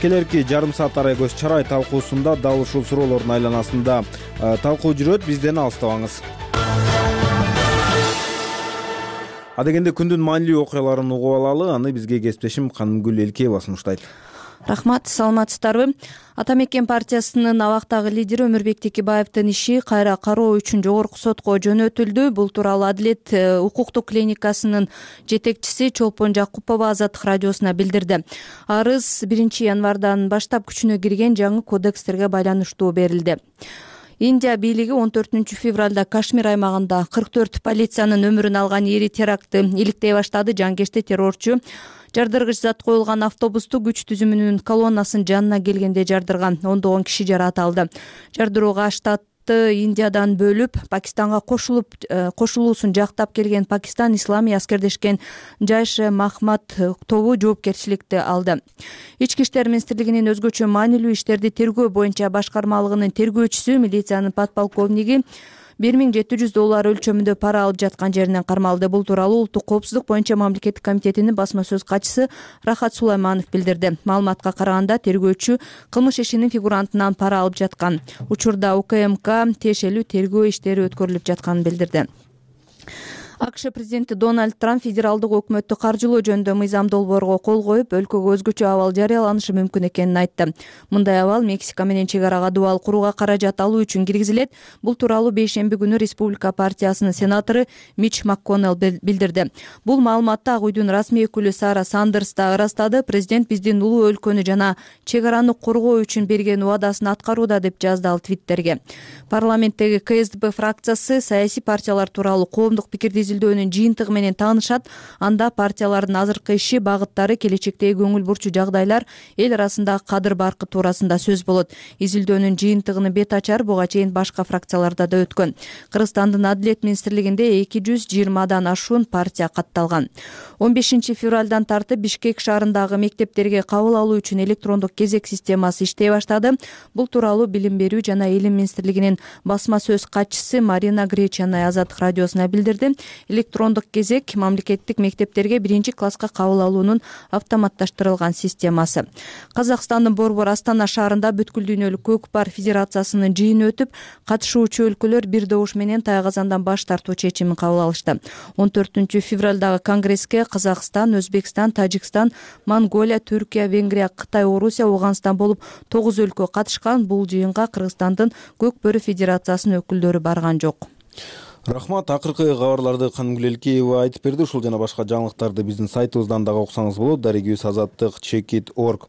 S2: Келерки жарым саат арайгөз чарай талкуусунда дал ушул суроолордун айланасында талкуу жүрөт. Бизден алыстабаңыз. Адегенде күндүн маанилүү окуяларын угуп алалы. Аны бизге кесиптешим Канымгүл Элкеева сунуштайт.
S6: Рахмат, саламатсыздарбы? Ата Мекен партиясынын абактагы лидери Өмүрбек Текебаевдин иши кайра кароо үчүн жогорку сотко жөнөтүлдү. Бул тууралуу Адилет укуктук клиникасынын жетекчиси Чолпон Жакупова Азаттык радиосуна билдирди. Арыз 1 январдан баштап күчүнө кирген жаңы кодекстерге байланыштуу берилди. Индия бийлиги 14 февралда Кашмир аймагында 44 полициянын өмүрүн алган эри терактты иликтей баштады. Жангешти террорчу жардыргыч зат коюлган автобусту күч түзүмүнүн колоннасынын жанына келгенде жардырган. Ондогон киши жаракат алды. Жардырууга штатты Индиядан бөлүп Пакистанга кошулуусун жактап келген Пакистан исламий аскердешкен Жайше Махмад тобу жоопкерчиликти алды. Ички иштер министрлигинин өзгөчө маанилүү иштерди тергөө боюнча башкармалыгынын тергөөчүсү милициянын подполковниги $1700 өлчөмүндө пара алып жаткан жеринен кармалды. Бул тууралуу Улуттук коопсуздук боюнча мамлекеттик комитетинин басма сөз катчысы Рахат Сулайманов билдирди. Маалыматка караганда тергөөчү кылмыш ишинин фигурантынан пара алып жаткан. Учурда УКМК тиешелүү тергөө иштери өткөрүлүп жатканын билдирди. АКШ президенти Дональд Трамп федералдык өкмөттү каржылоо жөнүндө мыйзам долбоорго кол коюп, өлкөгө өзгөчө абал жарыяланышы мүмкүн экенин айтты. Мындай абал Мексика менен чек арага дубал курууга каражат алуу үчүн киргизилет. Бул тууралуу бейшемби күнү Республика партиясынын сенатору Мич МакКоннелл билдирди. Бул маалыматты Ак үйдүн расмий өкүлү Сара Сандерс да ырастады. Президент биздин улуу өлкөнү жана чек араны коргоо үчүн берген убадасын аткарууда, деп жазды ал Твиттерге. Парламенттеги КСДП фракциясы саясий партиялар тууралуу коомдук пикирди изилдөөнүн жыйынтыгы менен таанышат. Анда партиялардын азыркы иши, багыттары, келечектеги көңүл бурчу жагдайлар, эл арасындагы кадыр баркы туурасында сөз болот. Изилдөөнүн жыйынтыгыны бет ачар буга чейин башка фракцияларда да өткөн. Кыргызстандын Адилет министрлигинде 220дан ашуун партия катталган. 15 февралдан тартып Бишкек шаарындагы мектептерге кабыл алуу үчүн электрондук кезек системасы иштей баштады. Бул тууралуу Билим берүү жана Илим министрлигинин басма сөз катчысы Марина Гречанай Азаттык радиосуна билдирди. Электрондук кезек мамлекеттик мектептерге 1-класска кабыл алуунун автоматташтырылган системасы. Казакстандын Борбор Астана шаарында бүткүл дүйнөлүк көк бар федерациясынын жыйыны өтүп, катышуучу өлкөлөр бир добуш менен Тайгазандан баш тартуу чечимин кабыл алышты. 14 февралдагы конгресске Казакстан, Өзбекстан, Тажикстан, Монголия, Түркия, Венгрия, Кытай, Орусия, Аугандстан болуп 9 өлкө катышкан. Бул жыйынга Кыргызстандын Көк бөрү федерациясынын өкүлдөрү барган жок.
S2: Рахмат, акыркы кабарларды Канымгүл Элкеева айтып берди. Ушул жана башка жаңылыктарды биздин сайтыбыздан дагы окусаңыз болот. Дарегибиз azattik.org.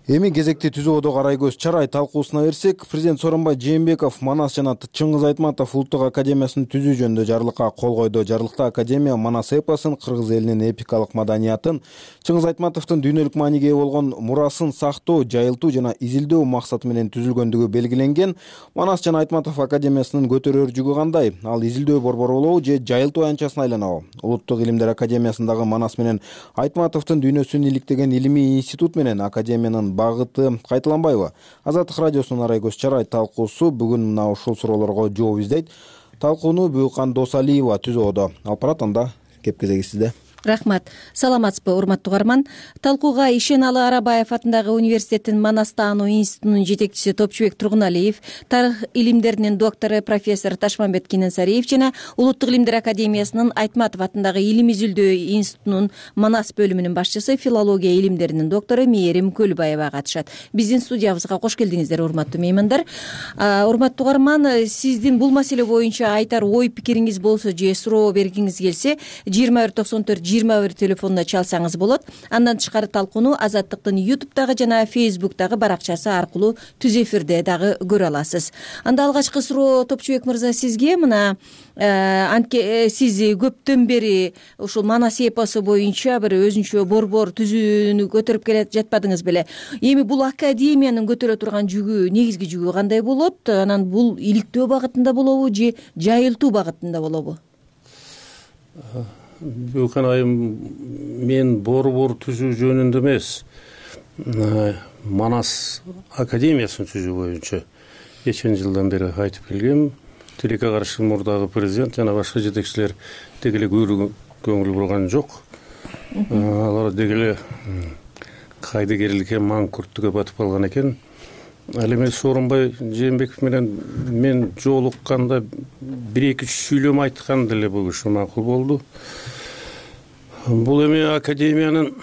S2: Эми кезекти түзүүдө карайгөз чарай талкуусуна берсек, президент Сооронбай Жээнбеков Манас жана Чыңгыз Айтматов улуттук академиясынын түзүү жөнүндө жарлыкка кол койду. Жарлыкта академия Манас эпосун, кыргыз элинин эпикалык маданиятын, Чыңгыз Айтматовдун дүйнөлүк мааниге ээ болгон мурасын сактоо, жайылтуу жана изилдөө максаты менен түзүлгөндүгү белгиленген. Манас жана Айтматов академиясынын көтөрөр жүгү кандай? Ал изилдөө борбору болобу же жайылтуу аянтчасына айланабы? Улуттук илимдер академиясындагы Манас менен Айтматовдун дүйнөсүн иликтеген илимий институт менен академиянын багыты кайталанбайбы? Азаттык радиосунун арайгөз чарай талкуусу бүгүн мына ушул суроолорго жооп издейт. Талкууну Бүйкан Досалиева түзүүдө. Алып барат, анда кеп кезеги сизде.
S19: Рахмат. Саламатсызбы, урматтуу угарман. Талкууга Ишеналы Арабаев атындагы университеттин Манас таануу институтунун жетекчиси Топчубек Тургуналиев, тарых илимдеринин доктору профессор Ташмамбет Кененсариев жана Улуттук илимдер академиясынын Айтматов атындагы Илим изилдөө институтунун Манас бөлүмүнүн башчысы, филология илимдеринин доктору Мээрим Көлбаева катышат. Биздин студиябызга кош келдиңиздер, урматтуу меймандар. Урматтуу угарман, сиздин бул маселе боюнча айтар ой пикириңиз болсо же суроо бергиңиз келсе 21 телефонуна чалсаңыз болот. Андан тышкары талкууну Азаттыктын YouTube'дагы жана Facebook'дагы баракчасы аркылуу түз эфирде дагы көрө аласыз. Анда алгачкы суроо Топчубек мырза сизге. Мына сиз көптөн бери ушул Манас эпосу боюнча бир өзүнчө борбор түзүүнү көтөрүп келе жатпадыңыз беле? Эми бул академиянын көтөрө турган жүгү, негизги жүгү кандай болот? Анан бул иликтөө багытында болобу же жайылтуу багытында болобу?
S20: Бүкөн айым, мен борбор түзүү жөнүндө эмес, Манас академиясын түзүү боюнча нече жылдан бери айтып келгем. Тилекке каршы мурдагы президент жана башка жетекчилер дегеле көңүл бурган жок. Алар дегеле кайдыгерликке, маңкүрттүккө батып калган экен. Ал эми Сооронбай Жээнбеков менен мен жолукканда 1-2 сүйлөм айткан деле бул киши макул болду. Бул эми академиянын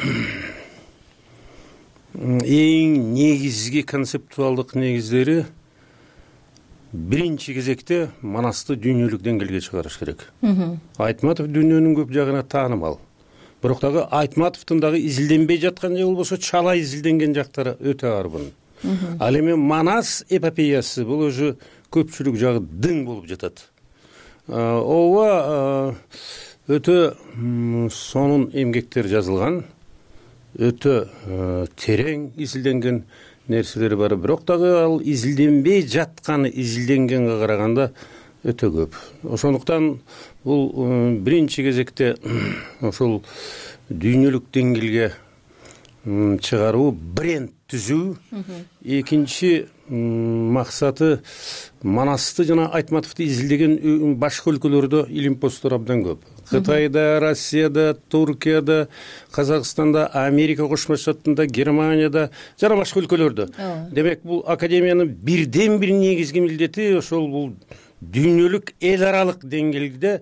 S20: эң негизги концептуалдык негиздери биринчи кезекте Манасты дүйнөлүк деңгээлге чыгарыш керек. Айтматов дүйнөнүн көп жагына таанымал. Бирок дагы Айтматовдун дагы изилденбей жаткан же болбосо чала изилденген жактары өтө арбын. Ал эми Манас эпопеясы бул уже көпчүлүк жагы дың болуп жатат. Ооба өтө сонун эмгектер жазылган, өтө терең изилденген нерселери бар. Бирок дагы ал изилденбей жатканы изилденгенге караганда өтө көп. Ошондуктан бул биринчи кезекте ошол дүйнөлүк деңгээлге чыгаруу, бренд түзүү. Экинчи максаты Манасты жана Айтматовду изилдеген башка өлкөлөрдө илимпоздор абдан көп. Кытайда, Россияда, Туркияда, Казакстанда, Америка Кошмо Штатында, Германияда жана башка өлкөлөрдө. Демек, бул академиянын бирден бир негизги милдети ошол бул дүйнөлүк эл аралык деңгээлде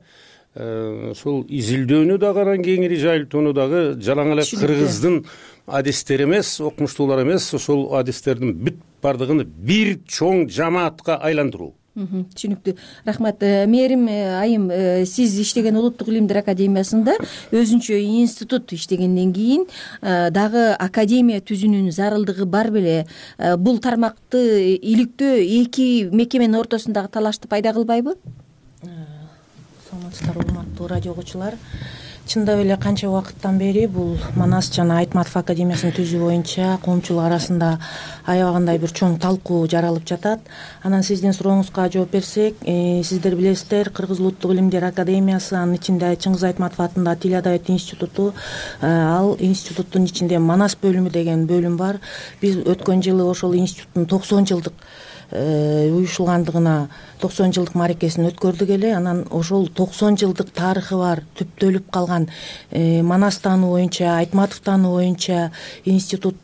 S20: ошол изилдөөнү дагы, анан кеңири жайылтууну дагы жалаң эле кыргыздын адистери эмес, окумуштуулар эмес, ошол адистердин бүт бардыгын бир чоң жамаатка айландыруу.
S19: Түшүнүктүү. Рахмат. Мээрим айым, сиз иштеген Улуттук илимдер академиясында өзүнчө институт иштегенден кийин дагы академия түзүүнүн зарылдыгы бар беле? Бул тармакты иликтөө эки мекеменин ортосундагы талашты пайда кылбайбы?
S21: Саламатсыздар, урматтуу радио угуучулар. Чындап эле канча убакыттан бери бул Манас жана Айтматов академиясын түзүү боюнча коомчулук арасында аябагандай бир чоң талкуу жаралып жатат. Анан сиздин сурооңузга жооп берсек, сиздер билесиздер, Кыргыз Улуттук илимдер академиясы, анын ичинде Чыңгыз Айтматов атындагы Тил адабият институту, ал институттун ичинде Манас бөлүмү деген бөлүм бар. Биз өткөн жылы ошол институттун 90 жылдык уюшулгандыгына 90 жылдык мааракесин өткөрдүк эле. Анан ошол 90 жылдык тарыхы бар, түптөлүп калган Манас таануу боюнча, Айтматов таануу боюнча институт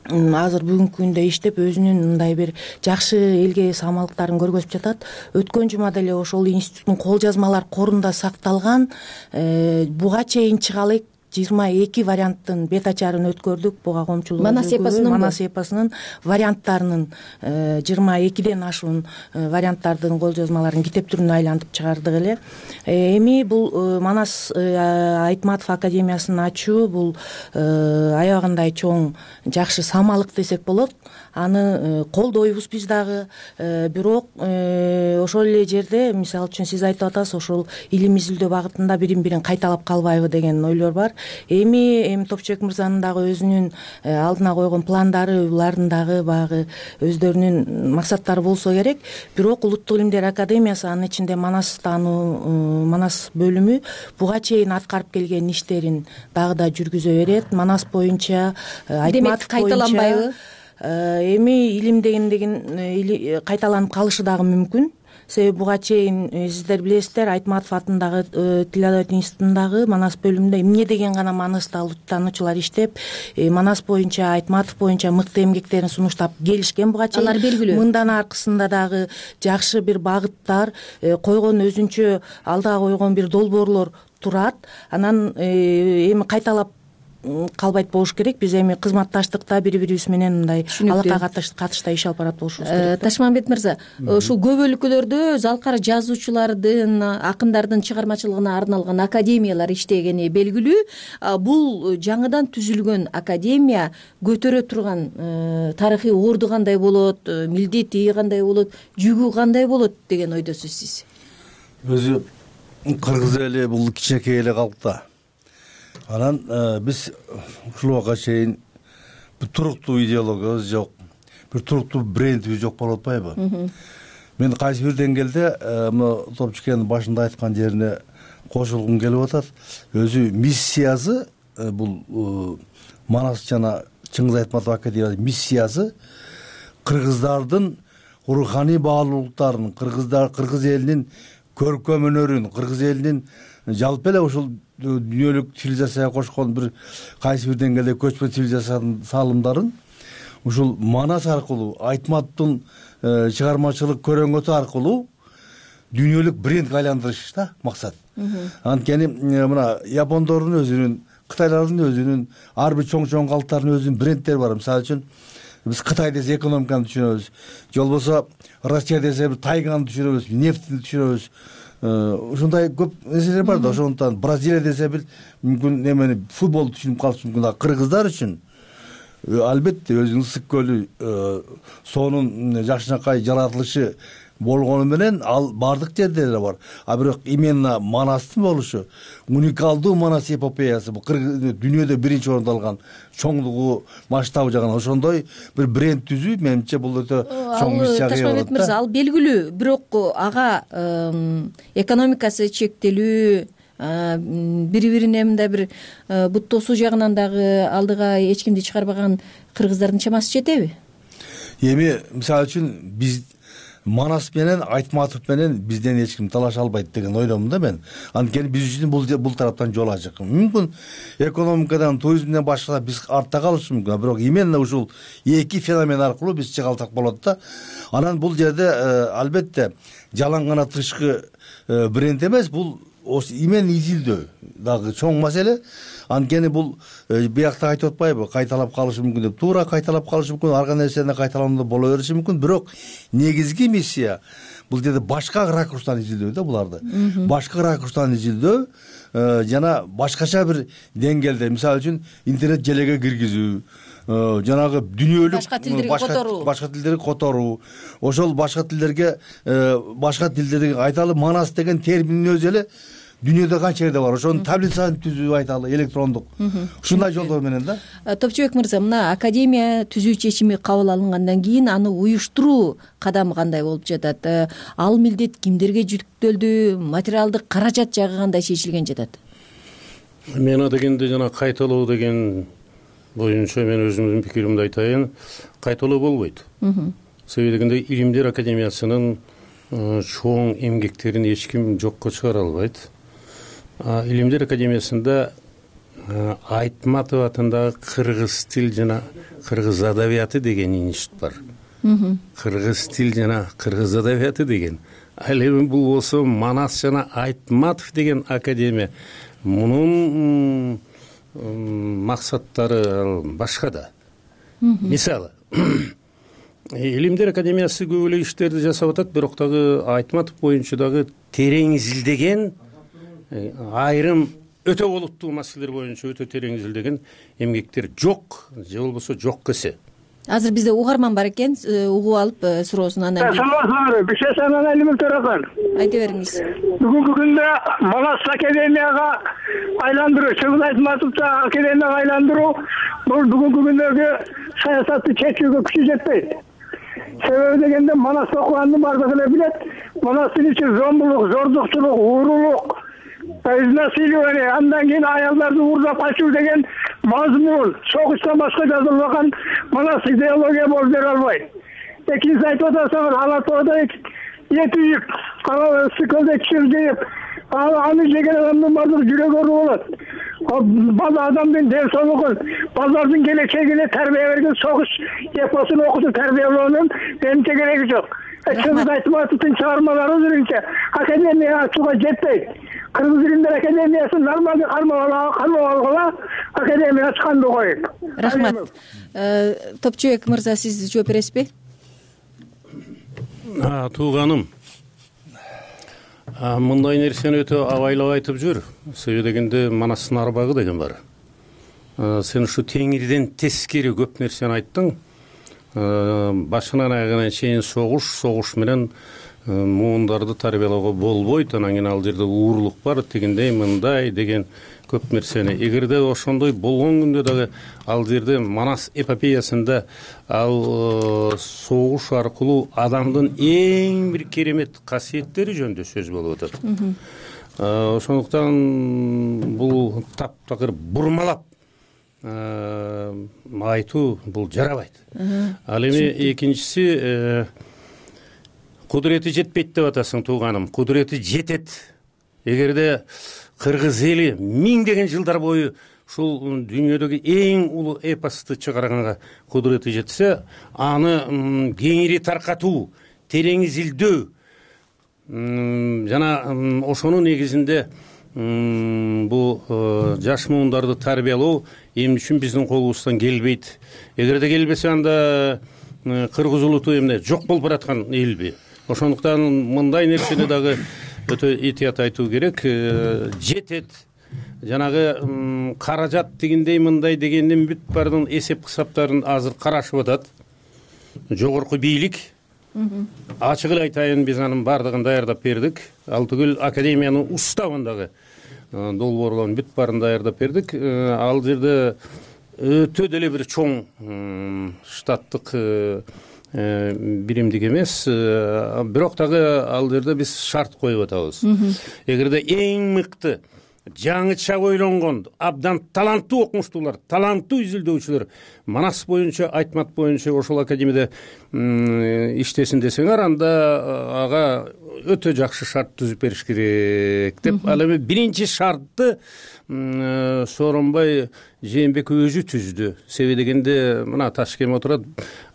S21: азыр бүгүнкү күндө иштеп, өзүнүн мындай бир жакшы элге самалыктарын көргөзүп жатат. Өткөн жума деле ошол институттун кол жазмалар корунда сакталган буга чейин чыга элек 22 варианттын бет ачарын өткөрдүк. Буга коомчулук Манас эпосунун варианттарынын 22ден ашуун варианттардын кол жазмаларын китеп түрүнө айлантып чыгардык эле. Эми бул Манас Айтматов академиясын ачуу бул аябагандай чоң жакшы самалык десек болот. Аны колдойбуз биз дагы. Бирок ошол эле жерде, мисалы үчүн сиз айтып атасыз, ошол илим изилдөө багытында бирин-бирин кайталап калбайбы деген ойлор бар. Эми Топчубек мырзанын дагы өзүнүн алдына койгон пландары, булардын дагы багы өздөрүнүн максаттары болсо керек. Бирок Улуттук илимдер академиясы, анын ичинде Манас таануу, Манас бөлүмү буга чейин аткарып келген иштерин дагы да жүргүзө берет. Манас боюнча, Айтматов боюнча кайталанбайбы? Эми илим деген кайталанып калышы дагы мүмкүн. себеби буга чейин сиздер билесиздер, Айтматов атындагы Тил адабият институтундагы Манас бөлүмүндө эмне деген гана манасты алуучулар иштеп, Манас боюнча, Айтматов боюнча мыкты эмгектерин сунуштап келишкен буга чейин.
S19: Алар белгилүү.
S21: Мындан аркысында дагы жакшы бир багыттар, койгон өзүнчө алдыга койгон бир долбоорлор турат. Анан эми кайталап калбайт болуш керек. Биз эми кызматташтыкта бири-бирибиз менен мындай алакка катышта иш алып барат болушубуз керек.
S19: Ташмамбет мырза, ушул көп өлкөлөрдө залкар жазуучулардын, акындардын чыгармачылыгына арналган академиялар иштегени белгилүү. Бул жаңыдан түзүлгөн академия көтөрө турган тарыхый орду кандай болот, милдети кандай болот, жүгү кандай болот деген ойдосуз сиз?
S3: Өзү кыргыз эли бул кичинекей эле калкта. Анан биз ушул убакка чейин бир туруктуу идеологиябыз жок, бир туруктуу брендибиз жок болуп атпайбы? Мен кайсы бир деңгээлде мына Топчукенин башында айткан жерине кошулгум келип атат. Өзү миссиясы бул Манас жана Чыңгыз Айтматов академиясынын миссиясы кыргыздардын руханий баалуулуктарын, кыргыз элинин көркөм өнөрүн, кыргыз элинин жалпы эле ушул дүйнөлүк цивилизацияга кошкон бир кайсы бир деңгээлде көчмө цивилизациянын салымдарын ушул Манас аркылуу, Айтматовдун чыгармачылык көрөңөтү аркылуу дүйнөлүк брендке айландырыш да максат. Анткени мына япондордун өзүнүн, кытайлардын өзүнүн, ар бир чоң калктардын өзүнүн брендтери бар. Мисалы үчүн биз Кытай десе экономиканы түшүнөбүз, же болбосо Россия десе бир тайганы түшүнөбүз, нефтти түшүнөбүз. Ушундай көп нерселер бар да. Ошондуктан Бразилия десе бир мүмкүн эмени футболду түшүнүп калышы мүмкүн. А кыргыздар үчүн албетте өзүнүн ысык көлү, суунун жакшынакай жаратылышы болгону менен ал бардык жерде эле бар. А бирок именно Манастын болушу, уникалдуу Манас эпопеясы бул дүйнөдө биринчи орунду алган, чоңдугу, масштабы жагынан ошондой бир бренд түзүү менимче бул өтө чоң миссия.
S19: Ташмамбет мырза, ал белгилүү, бирок ага экономикасы чектелүү, бири-бирине мындай бир бут тосуу жагынан дагы алдыга эч кимди чыгарбаган кыргыздардын чамасы жетеби?
S3: Эми мисалы үчүн биз Манас менен Айтматов менен бизден эч ким талаша албайт деген ойдомун да мен. Анткени биз үчүн бул тараптан жол ачык. Мүмкүн экономикадан, туризмден башка биз артта калышыбыз мүмкүн, бирок именно ушул эки феномен аркылуу биз чыга алсак болот да. Анан бул жерде албетте жалаң гана тышкы бренд эмес, бул именно изилдөө дагы чоң маселе. Анткени бул биякта айтып атпайбы, кайталап калышы мүмкүн деп. Туура кайталап калышы мүмкүн, ар кандай нерсени кайталануу боло бериши мүмкүн, бирок негизги миссия бул жерде башка ракурстан изилдөө да буларды. Башка ракурстан изилдөө жана башкача бир деңгээлде, мисалы үчүн интернет желеге киргизүү, жанагы дүйнөлүк башка тилдерди которуу, ошол башка тилдерге айталы Манас деген терминдин өзү эле дүйнөдө канча жерде бар, ошонун таблицасын түзүү айталы электрондук. Ушундай жолдор менен да.
S19: Топчубек мырза, мына академия түзүү чечими кабыл алынгандан кийин аны уюштуруу кадамы кандай болуп жатат? Ал милдет кимдерге жүктөлдү? Материалдык каражат жагы кандай чечилген жатат?
S20: Мен дегенде жана кайталоо деген боюнча мен өзүмдүн пикиримди айтайын, кайталоо болбойт. Себеби дегенде Илимдер академиясынын чоң эмгектерин эч ким жокко чыгара албайт. Илимдер академиясында Айтматов атындагы кыргыз тил жана кыргыз адабияты деген институт бар. Кыргыз тил жана кыргыз адабияты деген. Ал эми бул болсо Манас жана Айтматов деген академия. Мунун максаттары башка да. Мисалы, Илимдер академиясы көп эле иштерди жасап атат, бирок дагы Айтматов боюнча дагы терең изилдеген, айрым өтө олуттуу маселелер боюнча өтө терең изилдеген эмгектер жок, же болбосо жок кесе.
S19: Азыр бизде угарман бар экен, угуп алып суроосун анан кийин.
S22: Саламатсызбы? Бир şey санан элим төрөкөн.
S19: Айта бериңиз.
S22: Бүгүнкү күндө Манас академияга айландыруу, Чыңгыз Айтматовду академияга айландыруу бул бүгүнкү күндөгү саясатты чечүүгө күчү жетпейт. Себеби дегенде Манас окуганды бардыгы эле билет. Манастын ичи зомбулук, зордукчулук, уурулук, изнасилование, андан кийин аялдарды уурдап качуу деген мазмун согуштан башка жазылбаган Манас идеология болуп бере албайт. Экинчиси айтып атасыңыз, Ала тоодо эти жеп сыкылды чыр жеп аны жеген адамдын баардыгы жүрөгү оору болот. Бала адамдын ден соолугун, балдардын келечегине тарбия берген согуш эпосун окутуп тарбиялоонун менимче кереги жок. Чыңгыз Айтматовдун чыгармалары өзүнчө академия ачууга жетпейт. Кыргыз илимдер академиясын нормалдуу кармап алгыла, академия ачканды коюп.
S19: Рахмат. Топчубек мырза, сиз жооп бересизби?
S20: Тууганым, мындай нерсени өтө абайлап айтып жүр. Себеби дегенде Манастын арбагы деген бар. Сен ушу теңирден тескери көп нерсени айттың. Башынан аягына чейин согуш менен муундарды тарбиялоого болбойт, анан кийин ал жерде уурулук бар, тигиндей мындай деген көп нерсени. Эгерде ошондой болгон күндө дагы ал жерде Манас эпопеясында ал согуш аркылуу адамдын эң бир керемет касиеттери жөнүндө сөз болуп атат. Ошондуктан бул таптакыр бурмалап айтуу бул жарабайт. Ал эми экинчиси, кудурети жетпейт деп атасың, тууганым. Кудурети жетет. Эгерде кыргыз эли миңдеген жылдар бою ушул дүйнөдөгү эң улуу эпосту чыгарганга кудурети жетсе, аны кеңири таркатуу, терең изилдөө жана ошонун негизинде бул жаш муундарды тарбиялоо эмне үчүн биздин колубуздан келбейт? Эгерде келбесе, анда кыргыз улуту эмне жок болуп бараткан элби? Ошондуктан мындай нерсени дагы өтө этият айтуу керек. Жетет, жанагы каражат дегендей мындай дегендин бүт баардын эсеп кысаптарын азыр карашып атат жогорку бийлик. Ачык эле айтайын, биз анын баардыгын даярдап бердик. Ал түгүл академиянын уставындагы долбоорлордун бүт баарын даярдап бердик. Ал жерде өтө деле бир чоң штаттык биримдик эмес, бирок дагы ал жерде биз шарт коюп атабыз. Эгерде эң мыкты, жаңыча ойлонгон, абдан таланттуу окумуштуулар, таланттуу изилдөөчүлөр Манас боюнча, Айтмат боюнча ошол академияда иштесин десеңер, анда ага өтө жакшы шарт түзүп бериш керек деп. Ал эми биринчи шартты Сооронбай Жээнбеков өзү түздү. Себеби дегенде мына Ташкент отурат,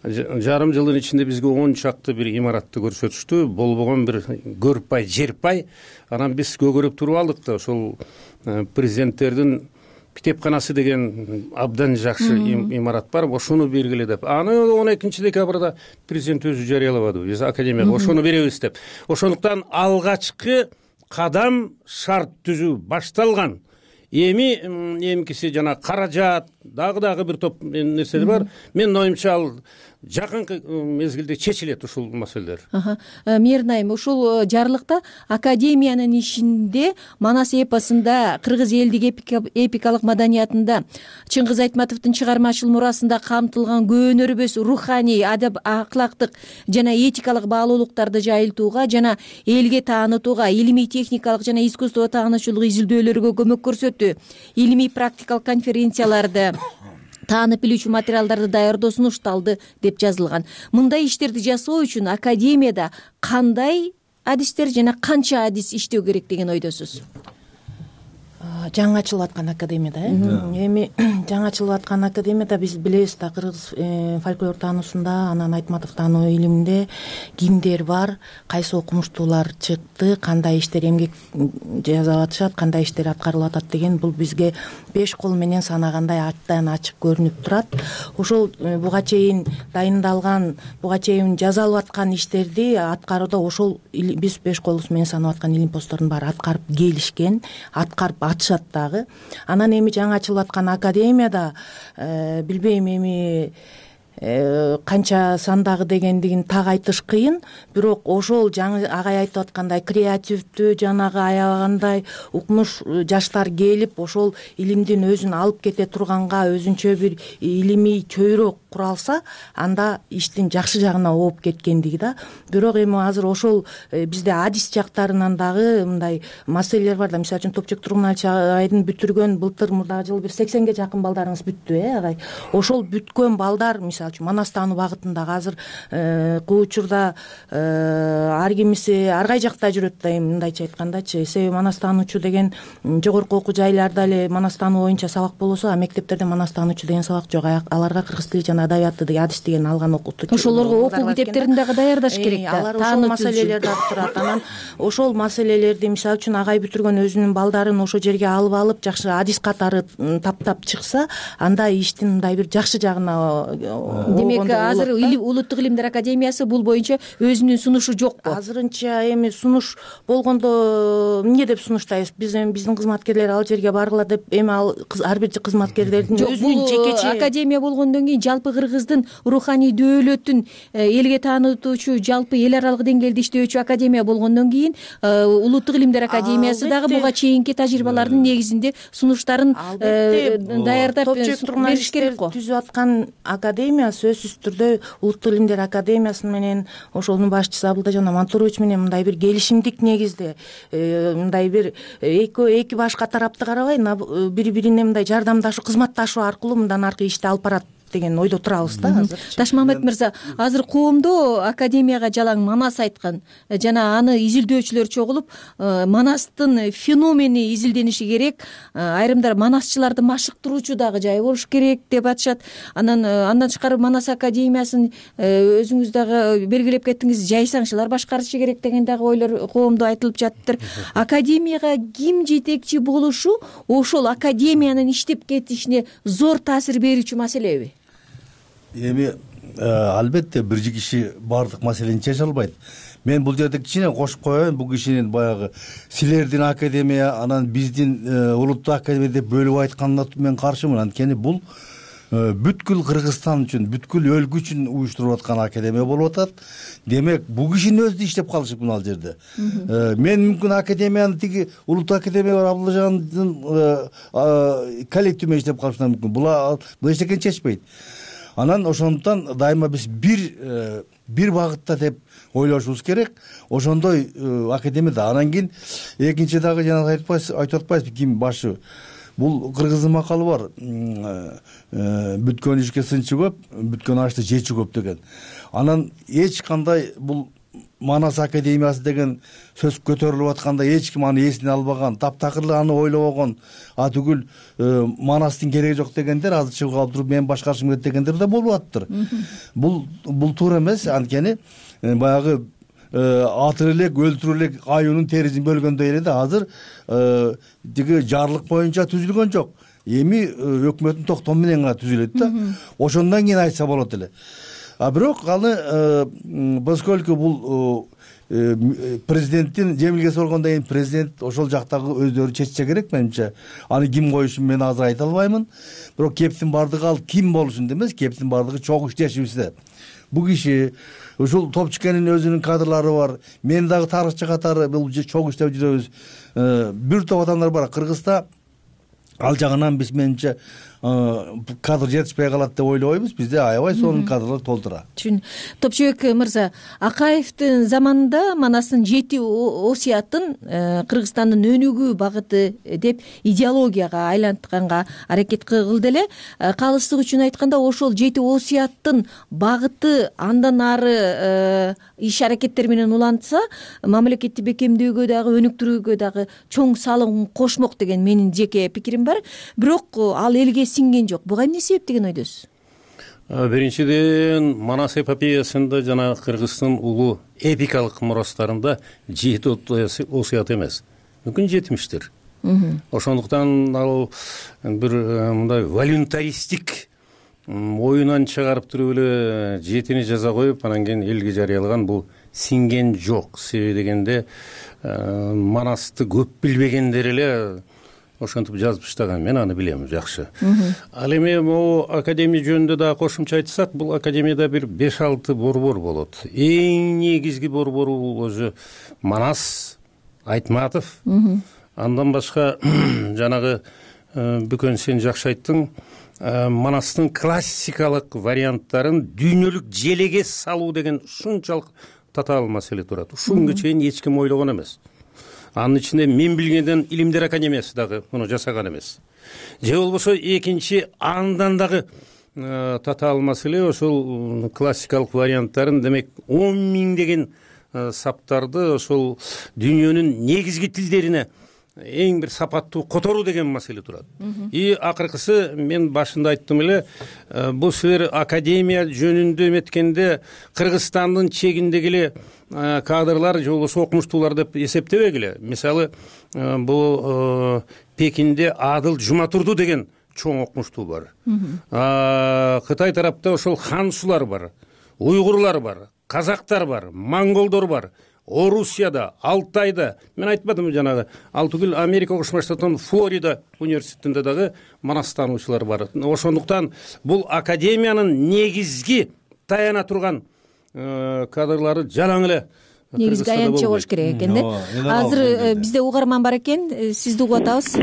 S20: жарым жылдын ичинде бизге 10 чакты бир имаратты көрсөтүштү. Болбогон бир көрпай, жерпай. Анан биз көгөрүп туруп алдык да, ошол президенттердин китепканасы деген абдан жакшы имарат бар, ошону бергиле деп. Аны 12 декабрда президент өзү жарыялабады. Биз академияга ошону беребиз деп. Ошондуктан алгачкы кадам шарт түзүү башталган. Эми эмкиси жана каражат, дагы бир топ нерселер бар. Менин оюмча ал жакынкы мезгилде чечилет ушул маселелер.
S19: Мээрнайым, ушул жарлыкта академиянын ишинде Манас эпосунда, кыргыз элдик эпикалык маданиятында, Чыңгыз Айтматовдун чыгармачыл мурасында камтылган көөнөрбөс руханий, адап аклактык жана этикалык баалуулуктарды жайылтууга жана элге таанытууга, илимий техникалык жана искусство таануучулук изилдөөлөргө көмөк көрсөтүү, илимий практикалык конференцияларды, таанып билүүчү материалдарды даярдоо сунушталды деп жазылган. Мындай иштерди жасоо үчүн академияда кандай адистер жана канча адис иштөө керек деген ойдосуз?
S21: Жаңы ачылып аткан академияда, эми жаңы ачылып аткан академияда биз билебиз да, кыргыз фольклор таануусунда, анан Айтматов таануу илиминде кимдер бар, кайсы окумуштуулар чыкты, кандай иштер эмгек жасап атышат, кандай иштер аткарылып атат деген бул бизге 5 кол менен санагандай ачтан ачык көрүнүп турат. Ошол буга чейин дайындалган, буга чейин жасалып аткан иштерди аткарууда ошол биз 5 колубуз менен санап аткан илим посттордун баары аткарып келишкен, аткарып атышат дагы. Анан эми жаңы ачылып аткан академияда билбейм эми канча сандагы дегендигин так айтыш кыйын, бирок ошол жаңы агай айтып аткандай креативдүү, жанагы аябагандай укмуш жаштар келип ошол илимдин өзүн алып кете турганга өзүнчө бир илимий чөйрө куралса, анда иштин жакшы жагына ооп кеткендиги да. Бирок эми азыр ошол бизде адис жактарынан дагы мындай маселелер бар да. Мисалы үчүн Топчубек Тургуналайдын бүтүргөн былтыр мурдагы жылы бир 80ге жакын балдарыңыз бүттү, агай. Ошол бүткөн балдар мисалы мисалы үчүн манастануу багытындагы азыр учурда ар кимиси ар кай жакта жүрөт да, эми мындайча айткандачы, себеби манастануучу деген жогорку окуу жайларда эле манастануу боюнча сабак болосо, а мектептерде манастануучу деген сабак жок. Аларга кыргыз тили жана адабияты деген адис деген алган окутуучу,
S19: ошолорго окуу китептерин дагы даярдаш керек да.
S21: Алар ошол маселелерди алып турат. Анан ошол маселелерди мисалы үчүн агай бүтүргөн өзүнүн балдарын ошол жерге алып жакшы адис катары таптап чыкса, анда иштин мындай бир жакшы жагына.
S19: Демек азыр Улуттук илимдер академиясы бул боюнча өзүнүн сунушу жокпу?
S21: Азырынча эми сунуш болгондо эмне деп сунуштайбыз? Биздин кызматкерлер ал жерге баргыла деп, эми ал ар бир кызматкерлердин өзүнүн жекече
S19: академия болгондон кийин жалпы Кыргыздын руханий дөөлөтүн элге таанытуучу, жалпы эл аралык деңгээлде иштөөчү академия болгондон кийин Улуттук илимдер академиясы дагы буга чейинки тажрыйбалардын негизинде сунуштарын даярдап бериш керек го.
S21: Түзүп аткан академия сөзсүз түрдө Улуттук илимдер академиясы менен ошонун башчысы Абылтажан Амантурович менен мындай бир келишимдик негизде, мындай бир эки башка тарапты карабай бири бирине мындай жардамдашуу, кызматташуу аркылуу мындан аркы ишти алып барат деген ойдо турабыз да азыр.
S19: Ташмамбет мырза, азыр коомдо академияга жалаң Манас айткан жана аны изилдөөчүлөр чогулуп, Манастын феномени изилдениши керек, айрымдар Манасчыларды машыктыруучу дагы жай болуш керек деп атышат. Андан тышкары Манас академиясын өзүңүз дагы белгилеп кеттиңиз, жайсаңчылар башкарышы керек деген дагы ойлор коомдо айтылып жатыптыр. Академияга ким жетекчи болушу ошол академиянын иштеп кетишине зор таасир берүүчү маселеби?
S3: Эми албетте бир киши баардык маселени чече албайт. Мен бул жерде кичине кошуп коеюн, бул кишинин баягы силердин академия, анан биздин улуттук академия деп бөлүп айтканына мен каршымын. Анткени бул бүткүл Кыргызстан үчүн, бүткүл өлкө үчүн уюштуруп аткан академия болуп атат. Демек, бул кишинин өзү иштеп калышыпмын ал жерде. Мен мүмкүн академияны тиги улуттук академия бар Абылжандын коллективи менен иштеп калышым мүмкүн. Бул эчтекени чечпейт. Анан ошондуктан дайыма биз бир багытта деп ойлошубуз керек. Ошондой академияда. Анан кийин экинчи дагы жана айтып атпайсызбы ким башы? Бул кыргыздын макалы бар. Бүткөн ишке сынчы көп, бүткөн ашты жечи көп деген. Анан эч кандай бул Манас академиясы деген сөз көтөрүлүп атканда эч ким аны эсине албаган, таптакыр аны ойлобогон, түгүл Манастын кереги жок дегендер азыр чыгып калып туруп мен башкарышым керек дегендер да болуп атыптыр. Бул туура эмес. Анткени баягы атыр элек, өлтүрүп элек аюунун терисин бөлгөндөй эле да азыр тиги жарлык боюнча түзүлгөн жок. Эми өкмөттүн токтому менен гана түзүлөт да. Ошондон кийин айтса болот эле. Бирок аны поскольку бул президенттин жемилгеси болгондон кийин президент ошол жактагы өздөрү чечсе керек менимче. Аны ким коюшун мен азыр айта албаймын. Бирок кептин бардыгы ал ким болушун эмес, кептин бардыгы чогуу иштешибизде. Бул киши ушул Топчукенин өзүнүн кадрлары бар. Мен дагы тарыхчы катары бул чогуу иштеп жүрөбүз. Бир топ адамдар бар Кыргызда. Ал жагынан биз менимче кадр жетишпей калат деп ойлойбуз. Бизде аябай сонун кадрлар толтура.
S19: Топчубек мырза, Акаевдин заманында Манастын 7 осуятын Кыргызстандын өнүгүү багыты деп идеологияга айлантканга аракет кылды эле. Калыстык үчүн айтканда ошол 7 осуяттын багыты андан ары иш аракеттер менен улантса, мамлекетти бекемдөөгө дагы, өнүктүрүүгө дагы чоң салым кошмок деген менин жеке пикирим бар. Бирок ал элге сиңген жок. Буга эмне себеп деген ойдосуз?
S20: Биринчиден, Манас эпопеясында жана Кыргыздын улуу эпикалык мурастарында 7 осуят эмес, мүмкүн 70-тир. Ошондуктан ал бир мындай волюнтаристик оюнан чыгарып туруп эле 7-ни жаза коюп, анан кийин элге жарыялаган бул сиңген жок. Себеби дегенде Манасты көп билбегендер эле ошентип жазып таштаган. Мен аны билем жакшы. Ал эми могу академия жөнүндө да кошумча айтсак, бул академияда бир 5-6 борбор болот. Эң негизги борбору бул өзү Манас, Айтматов. Андан башка жанагы Бүкөн сен жакшы айттың, Манастын классикалык варианттарын дүйнөлүк желеге салуу деген ушунчалык татаал маселе турат. Ушунга чейин эч ким ойлогон эмес. Анын ичинде мен билгенден Илимдер академиясы дагы муну жасаган эмес. Же болбосо экинчи андан дагы татаал маселе ошол классикалык варианттарын, демек 10 миңдеген саптарды ошол дүйнөнүн негизги тилдерине эң бир сапаттуу которуу деген маселе турат. И акыркысы мен башында айттым эле, бул силер академия жөнүндө эметкенде Кыргызстандын чегиндеги эле кадрлар же болбосо окумуштуулар деп эсептебегиле. Мисалы, бул Пекинде Адыл Жуматурду деген чоң окумуштуу бар. Кытай тарапта ошол хансулар бар, уйгурлар бар, казактар бар, монголдор бар. Орусияда, Алтайда, мен айтпадым жанагы, ал түгүл Америка Кошмо Штаттарынын Флорида университетинде дагы манастануучулар бар. Ошондуктан бул академиянын негизги таяна турган кадрлары жалаң эле
S19: негизги аянтчы болуш керек экен да. Азыр бизде угарман бар экен, сизди угуп атабыз.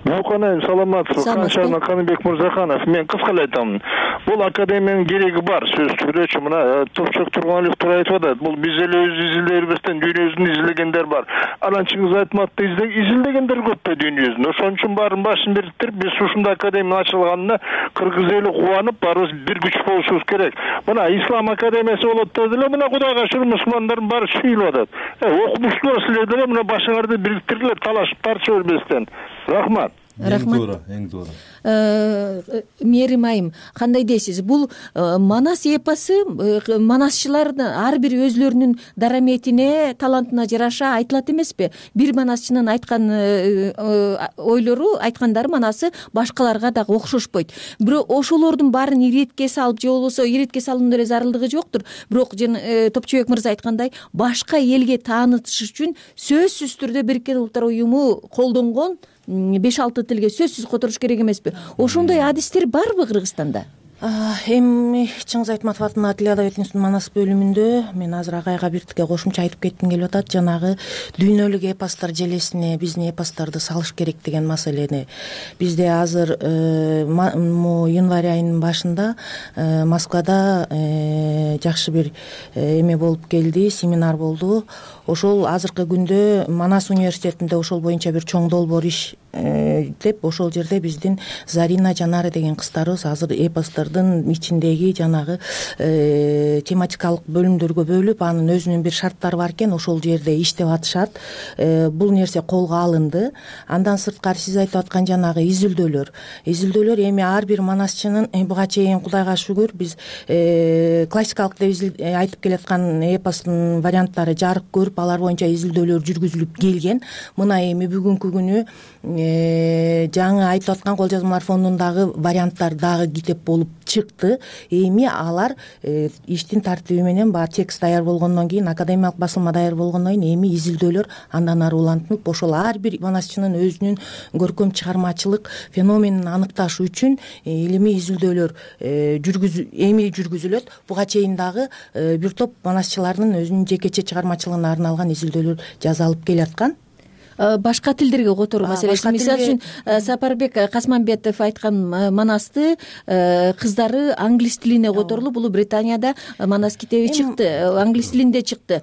S4: Муканайым, саламатсызбы? Каншарына Каныбек Мырзаханов. Мен кыска эле айтам. Бул академиянын кереги бар, сөзсүз түрдө. Мына Топчок Тургуналиев туура айтып атат. Бул биз эле өз изилдебестен дүйнөбүздүн изилдегендер бар. Анан Чыңгыз Айтматовду изилдегендер көп да дүйнөбүздүн. Ошон үчүн баарын башын бириктирип, биз ушундай академия ачылганына кыргыз эли кубанып, баарыбыз бир күч болушубуз керек. Мына Ислам академиясы болот деди эле, мына Кудайга шүгүр мусулмандардын баары сүйүлүп атат. Окумуштуулар силер деле мына башыңарды бириктиргиле, талашып тарча бербестен. Рахмат.
S3: Эң туура.
S19: Мээрим айым, кандай дейсиз? Бул Манас эпосу манасчылар ар бир өзлөрүнүн дараметине, талантына жараша айтылат эмеспи? Бир манасчынын айткан ойлору, айткандары, манасы башкаларга дагы окшошпойт. Бирок ошолордун баарын иретке салып, же болбосо иретке салуунун эле зарылдыгы жоктур. Бирок Топчубек мырза айткандай, башка элге таанытыш үчүн сөзсүз түрдө Бириккен Улуттар уюму колдонгон 5-6 тилге сөзсүз которуш керек эмеспи? Ошондой адистер барбы Кыргызстанда?
S21: Эми Чыңгыз Айтматов атынын Тил Адабият институтунун Манас бөлүмүндө мен азыр агайга биртике кошумча айтып кетким келип атат. Жанагы дүйнөлүк эпостор желесине биздин эпосторду салыш керек деген маселени. Бизде азыр январь айынын башында Москвада жакшы бир эме болуп келди, семинар болду. Ошол азыркы күндө Манас университетинде ошол боюнча бир чоң долбоор иш деп, ошол жерде биздин Зарина Жанары деген кыздарыбыз азыр эпостордун ичиндеги жанагы тематикалык бөлүмдөргө бөлүп, анын өзүнүн бир шарттары бар экен, ошол жерде иштеп атышат. Бул нерсе колго алынды. Андан сырткары сиз айтып аткан жанагы изилдөөлөр эми ар бир манасчынын буга чейин Кудайга шүгүр биз классикалык деп айтып келаткан эпостун варианттары жарык көрүп, алар боюнча изилдөөлөр жүргүзүлүп келген. Мына эми бүгүнкү күнү жаңы айтып аткан кол жазмалар фондундагы варианттар дагы китеп болуп чыкты. Эми алар иштин тартиби менен баары текст даяр болгондон кийин, академиялык басылма даяр болгондон кийин эми изилдөөлөр андан ары улантылып, ошол ар бир манасчынын өзүнүн көркөм чыгармачылык феноменин аныкташ үчүн илимий изилдөөлөр жүргүзүлөт. Буга чейин дагы бир топ манасчылардын өзүнүн жекече чыгармачылыгына арналган изилдөөлөр жазалып келаткан.
S19: Башка тилдерге которуу маселеси. Мисалы үчүн Сапарбек Касманбетов айткан Манасты кыздары англис тилине которулуп, бул Британияда Манас китеби чыкты, англис тилинде чыкты.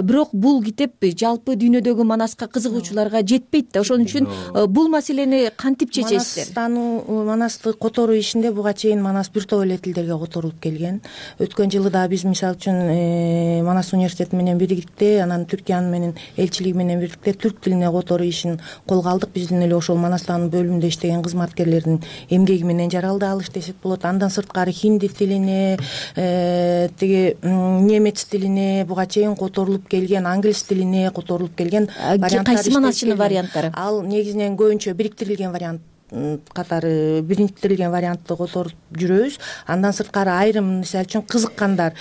S19: Бирок бул китеп жалпы дүйнөдөгү Манаска кызыгуучуларга жетпейт да. Ошон үчүн бул маселени кантип чечесиздер?
S21: Манасты которуу ишинде буга чейин Манас бир топ эле тилдерге которулуп келген. Өткөн жылы да биз мисалы үчүн Манас университети менен бирдикте, анан Түркиянын менен элчилиги менен бирдикте түрк тилине которуу ишин колго алдык. Биздин эле ошол Манастан бөлүмүндө иштеген кызматкерлердин эмгеги менен жаралды алыш десек болот. Андан сырткары хинди тилине, тиги немец тилине буга чейин которулуп келген, англис тилине которулуп келген варианттар.
S19: Кайсы манасчынын варианттары?
S21: Ал негизинен көбүнчө бириктирилген вариант катары бириктирилген вариантты которуп жүрөбүз. Андан сырткары айрым мисалы үчүн кызыккандар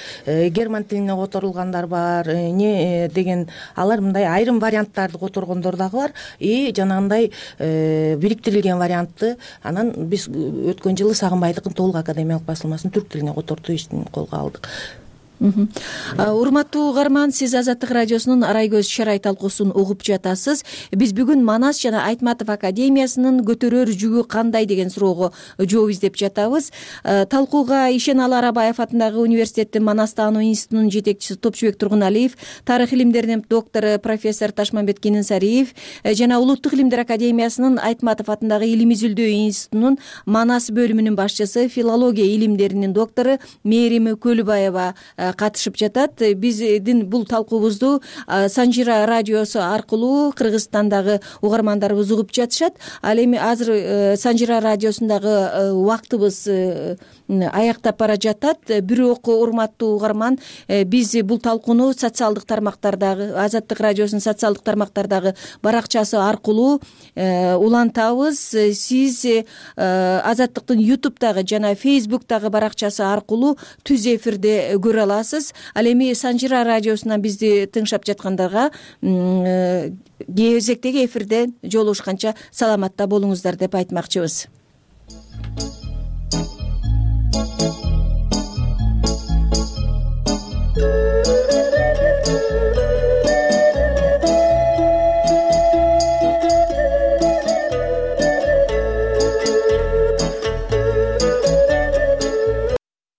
S21: герман тилине которулгандар бар, эмне деген алар мындай айрым варианттарды которгондор дагы бар. И жанагындай бириктирилген вариантты анан биз өткөн жылы Сагынбайдыкын толук академиялык басылмасын түрк тилине котортуу ишин колго алдык.
S19: Урматтуу угарман, сиз Азаттык радиосунун Арай көз Шарай талкуусун угуп жатасыз. Биз бүгүн Манас жана Айтматов академиясынын көтөрөр жүгү кандай деген суроого жооп издеп жатабыз. Талкууга Ишеналы Арабаев атындагы университеттин Манастаану институтунун жетекчиси Топчубек Тургуналиев, тарых илимдеринин доктору профессор Ташмамбет Кененсариев жана Улуттук илимдер академиясынын Айтматов атындагы Илим изилдөө институтунун Манас бөлүмүнүн башчысы, филология илимдеринин доктору Мээрим Көлүбаева катышып жатат. Биздин бул талкуубузду Санжира радиосу аркылуу Кыргызстандагы угармандарыбыз угуп жатышат. Ал эми азыр Санжира радиосундагы убактыбыз аяктап бара жатат. Бирок урматтуу угарман, биз бул талкууну социалдык тармактардагы, Азаттык радиосунун социалдык тармактардагы баракчасы аркылуу улантабыз. Сиз Азаттыктын YouTube'дагы жана Facebook'дагы баракчасы аркылуу түз эфирде көрө аласыз. Ал эми Санжира радиосунан бизди тыңшап жаткандарга кезектеги эфирде жолугушканча саламатта болуңуздар деп айтмакчыбыз.